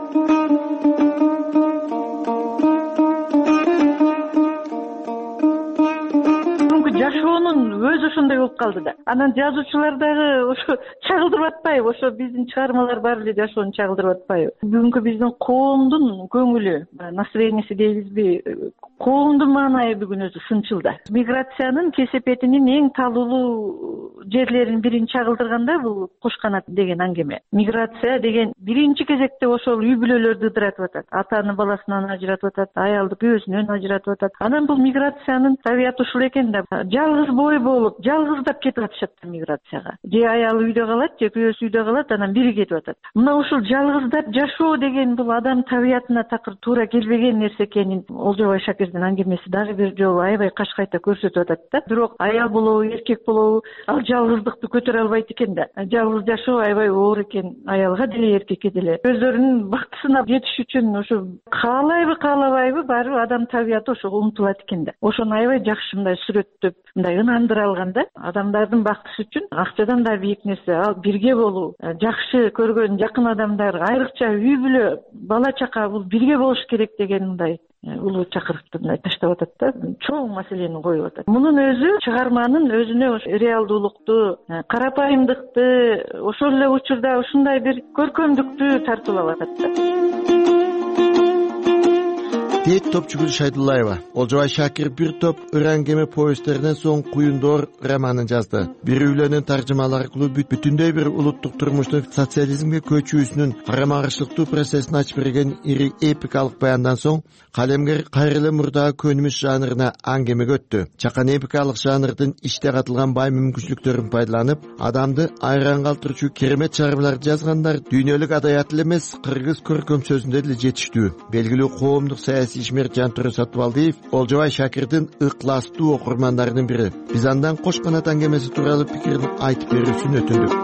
Жашоонун өзү ошондой болуп калды да. Анан жазуучулар дагы ошо чагылдырып атпайбы? Ошо биздин чыгармалар баары эле жашоону чагылдырып атпайбы? Бүгүнкү биздин коомдун көңүлү, настроенияси дейбизби, коомдун маанайы бүгүн өзү сынчыл да. Миграциянын кесепетинин эң талуулуу жерлерин бирин чагылдырганда бул Кош канат деген аңгеме. Миграция деген биринчи кезекте ошол үй бүлөлөрдү ыдыратып атат. Атаны баласынан ажыратып атат, аялды күйөөсүнөн ажыратып атат. Анан бул миграциянын табияты ушул экен да. Жалгыз бой болуп, жалгыздап кетип атышат миграцияга. Же аялы үйдө калат, же күйөөсү үйдө калат, анан бири кетип атат. Мына ушул жалгыздап жашоо деген бул адам табиятына такыр туура келбеген нерсе экенин Олжобай Шакирдин аңгемеси дагы бир жолу аябай кашкайта көрсөтүп атат да. Бирок аял болобу, эркек болобу, ал жалгыздыкты көтөрө албайт экен да. Жалгыз жашоо аябай оор экен аялга деле, эркекке деле. Өздөрүнүн бактысына жетиш үчүн ошо каалайбы, каалабайбы, баары адам табияты ошого умтулат экен да. Ошону аябай жакшы мындай сүрөттөп, мындай ынандыра алганда, адамдардын бактысы үчүн акчадан да бийик нерсе ал бирге болуу, жакшы көргөн жакын адамдар, айрыкча үй бүлө, бала чака бул бирге болуш керек деген мындай улуу чакырыкты мындай таштап атат да, чоң маселени коюп атат. Мунун өзү чыгарманын өзүнө реалдуулукту, карапайымдыкты, ошол эле учурда ушундай бир көркөмдүктү тартып алып атат да. Дейт Топчугүл Шайдуллаева. Олжобай Шакир бир топ ыр аңгеме повесттеринен соң Куюндор романын жазды. Бир үйлөнүн таржымалары аркылуу бүтүндөй бир улуттук турмуштун социализмге көчүүсүнүн карама-каршылыктуу процессин ачып берген ири эпикалык баяндан соң калемгер кайра эле мурдагы көнүмүш жанрына аңгемеге өттү. Чакан эпикалык жанрдын ичте катылган бай мүмкүнчүлүктөрүн пайдаланып, адамды айран калтырчу керемет чыгармаларды жазгандар дүйнөлүк адаят эле эмес, кыргыз көркөм сөзүндө деле жетиштүү. Белгилүү коомдук ишмер Жантүрө Сатыбалдиев Олжобай Шакирдин ыкластуу окурмандарынын бири. Биз андан Кош канат аңгемеси тууралуу пикирин айтып берүүсүн өтүндүк.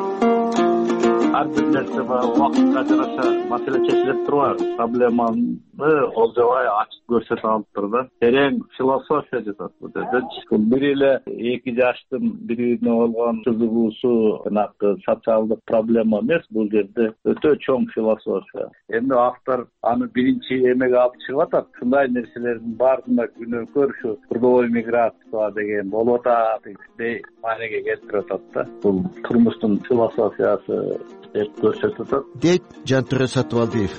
Ар бир нерсе убакытка жараша маселе чечилип турбайбы? Проблеманы Олжобай ачып көрсөтүп алыптыр да. Терең философия жатат бул жерде. Бир эле 2 жаштын бири-бирине болгон кызыгуусу жанагы социалдык проблема эмес, бул жерде өтө чоң философия. Эми автор аны биринчи эмеге алып чыгып атат. Ушундай нерселердин баарына күнөөкөр ушу трудовой миграция деген болуп атат деп маанеге келтирип атат да. Бул турмуштун философиясы деп көрсөтүп атат. Дейт Жантүрө Сатыбалдиев.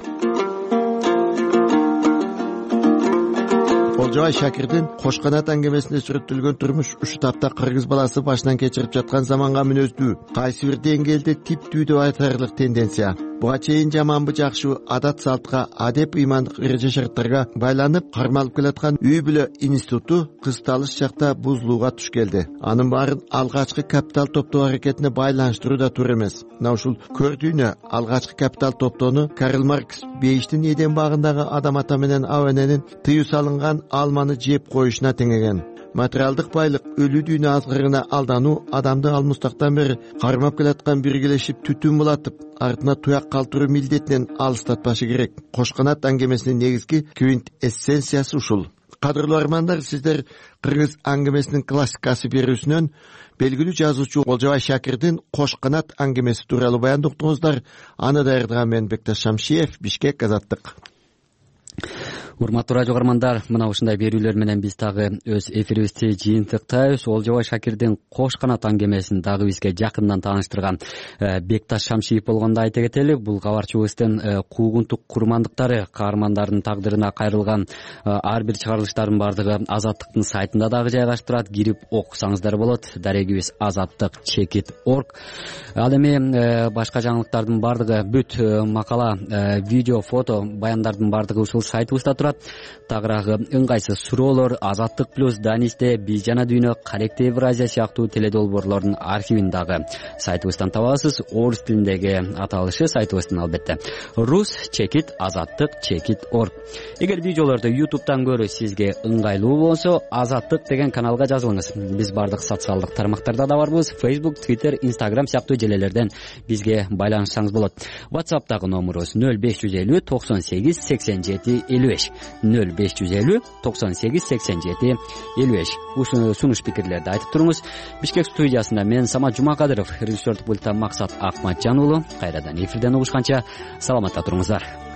Олжобай Шакирдин Кош канат аңгемесинде сүрөттөлгөн турмуш ушу тапта кыргыз баласы башынан кечирип жаткан заманга мүнөздүү, кайсы бир деңгээлде типтүү деп айтарлык тенденция. Буга чейин жаманбы жакшыбы адат салтка, адеп ыймандык эреже шарттарга байланып кармалып келаткан үй бүлө институту кысталыш чакта бузулууга туш келди. Анын баарын алгачкы капитал топтоо аракетине байланыштыруу да туура эмес. Мына ушул көрдүйнө алгачкы капитал топтоону Карл Маркс Бейиштин Эден багындагы адам ата менен аба эненин тыюу салынган алманы жеп коюшуна теңеген. Материалдык байлык, өлүү дүйнө азгырыгына алдануу адамды алмустактан бери кармап келаткан биргелешип түтүн булатып, артына туяк калтыруу милдетинен алыстатпашы керек. Кош канат аңгемесинин негизги квинтэссенциясы ушул. Кадырлуу армандар, сиздер кыргыз аңгемесинин классикасы берүүсүнөн белгилүү жазуучу Олжобай Шакирдин Кош канат аңгемеси тууралуу баянды уктуңуздар. Аны даярдаган мен Бекташ Шамшиев, Бишкек, Азаттык. урматтуу радио угармандар, мына ушундай берүүлөр менен биз дагы өз эфирибизди жыйынтыктайбыз. Олжобай Шакирдин Кош канат аңгемесин дагы бизге жакындан тааныштырган Бекташ Шамшиев болгондо айта кетели. Бул кабарчыбыздын куугунтук курмандыктары каармандардын тагдырына кайрылган ар бир чыгарылыштардын баардыгы Азаттыктын сайтында дагы жайгаштырат. Кирип окусаңыздар болот. Дарегибиз azattik.org. Ал эми башка жаңылыктардын баардыгы, бүт макала, видео, фото, баяндардын баардыгы ушул сайтыбызда турат. Тагыраагы ыңгайсыз суроолор Азаттык плюс Данисте, Биз жана дүйнө, Каректи Евразия сыяктуу теледолбоорлордун архивин дагы сайтыбыздан табасыз. Орус тилиндеги аталышы сайтыбыздын албетте rus.azattik.org. Эгер видеолорду YouTube'дан көрүү сизге ыңгайлуу болсо, Азаттык деген каналга жазылыңыз. Биз бардык социалдык тармактарда да барбыз. Facebook, Twitter, Instagram сыяктуу желелерден бизге байланышсаңыз болот. WhatsApp'тагы номерубуз 0550 98 87 55 0550 98 87 55. Ушуну сунуш пикирлерди айтып туруңуз. Бишкек студиясында мен Самат Жумакадыров, режиссердук пультта Максат Акматжан уулу. Кайрадан эфирден угушканча саламатта туруңуздар.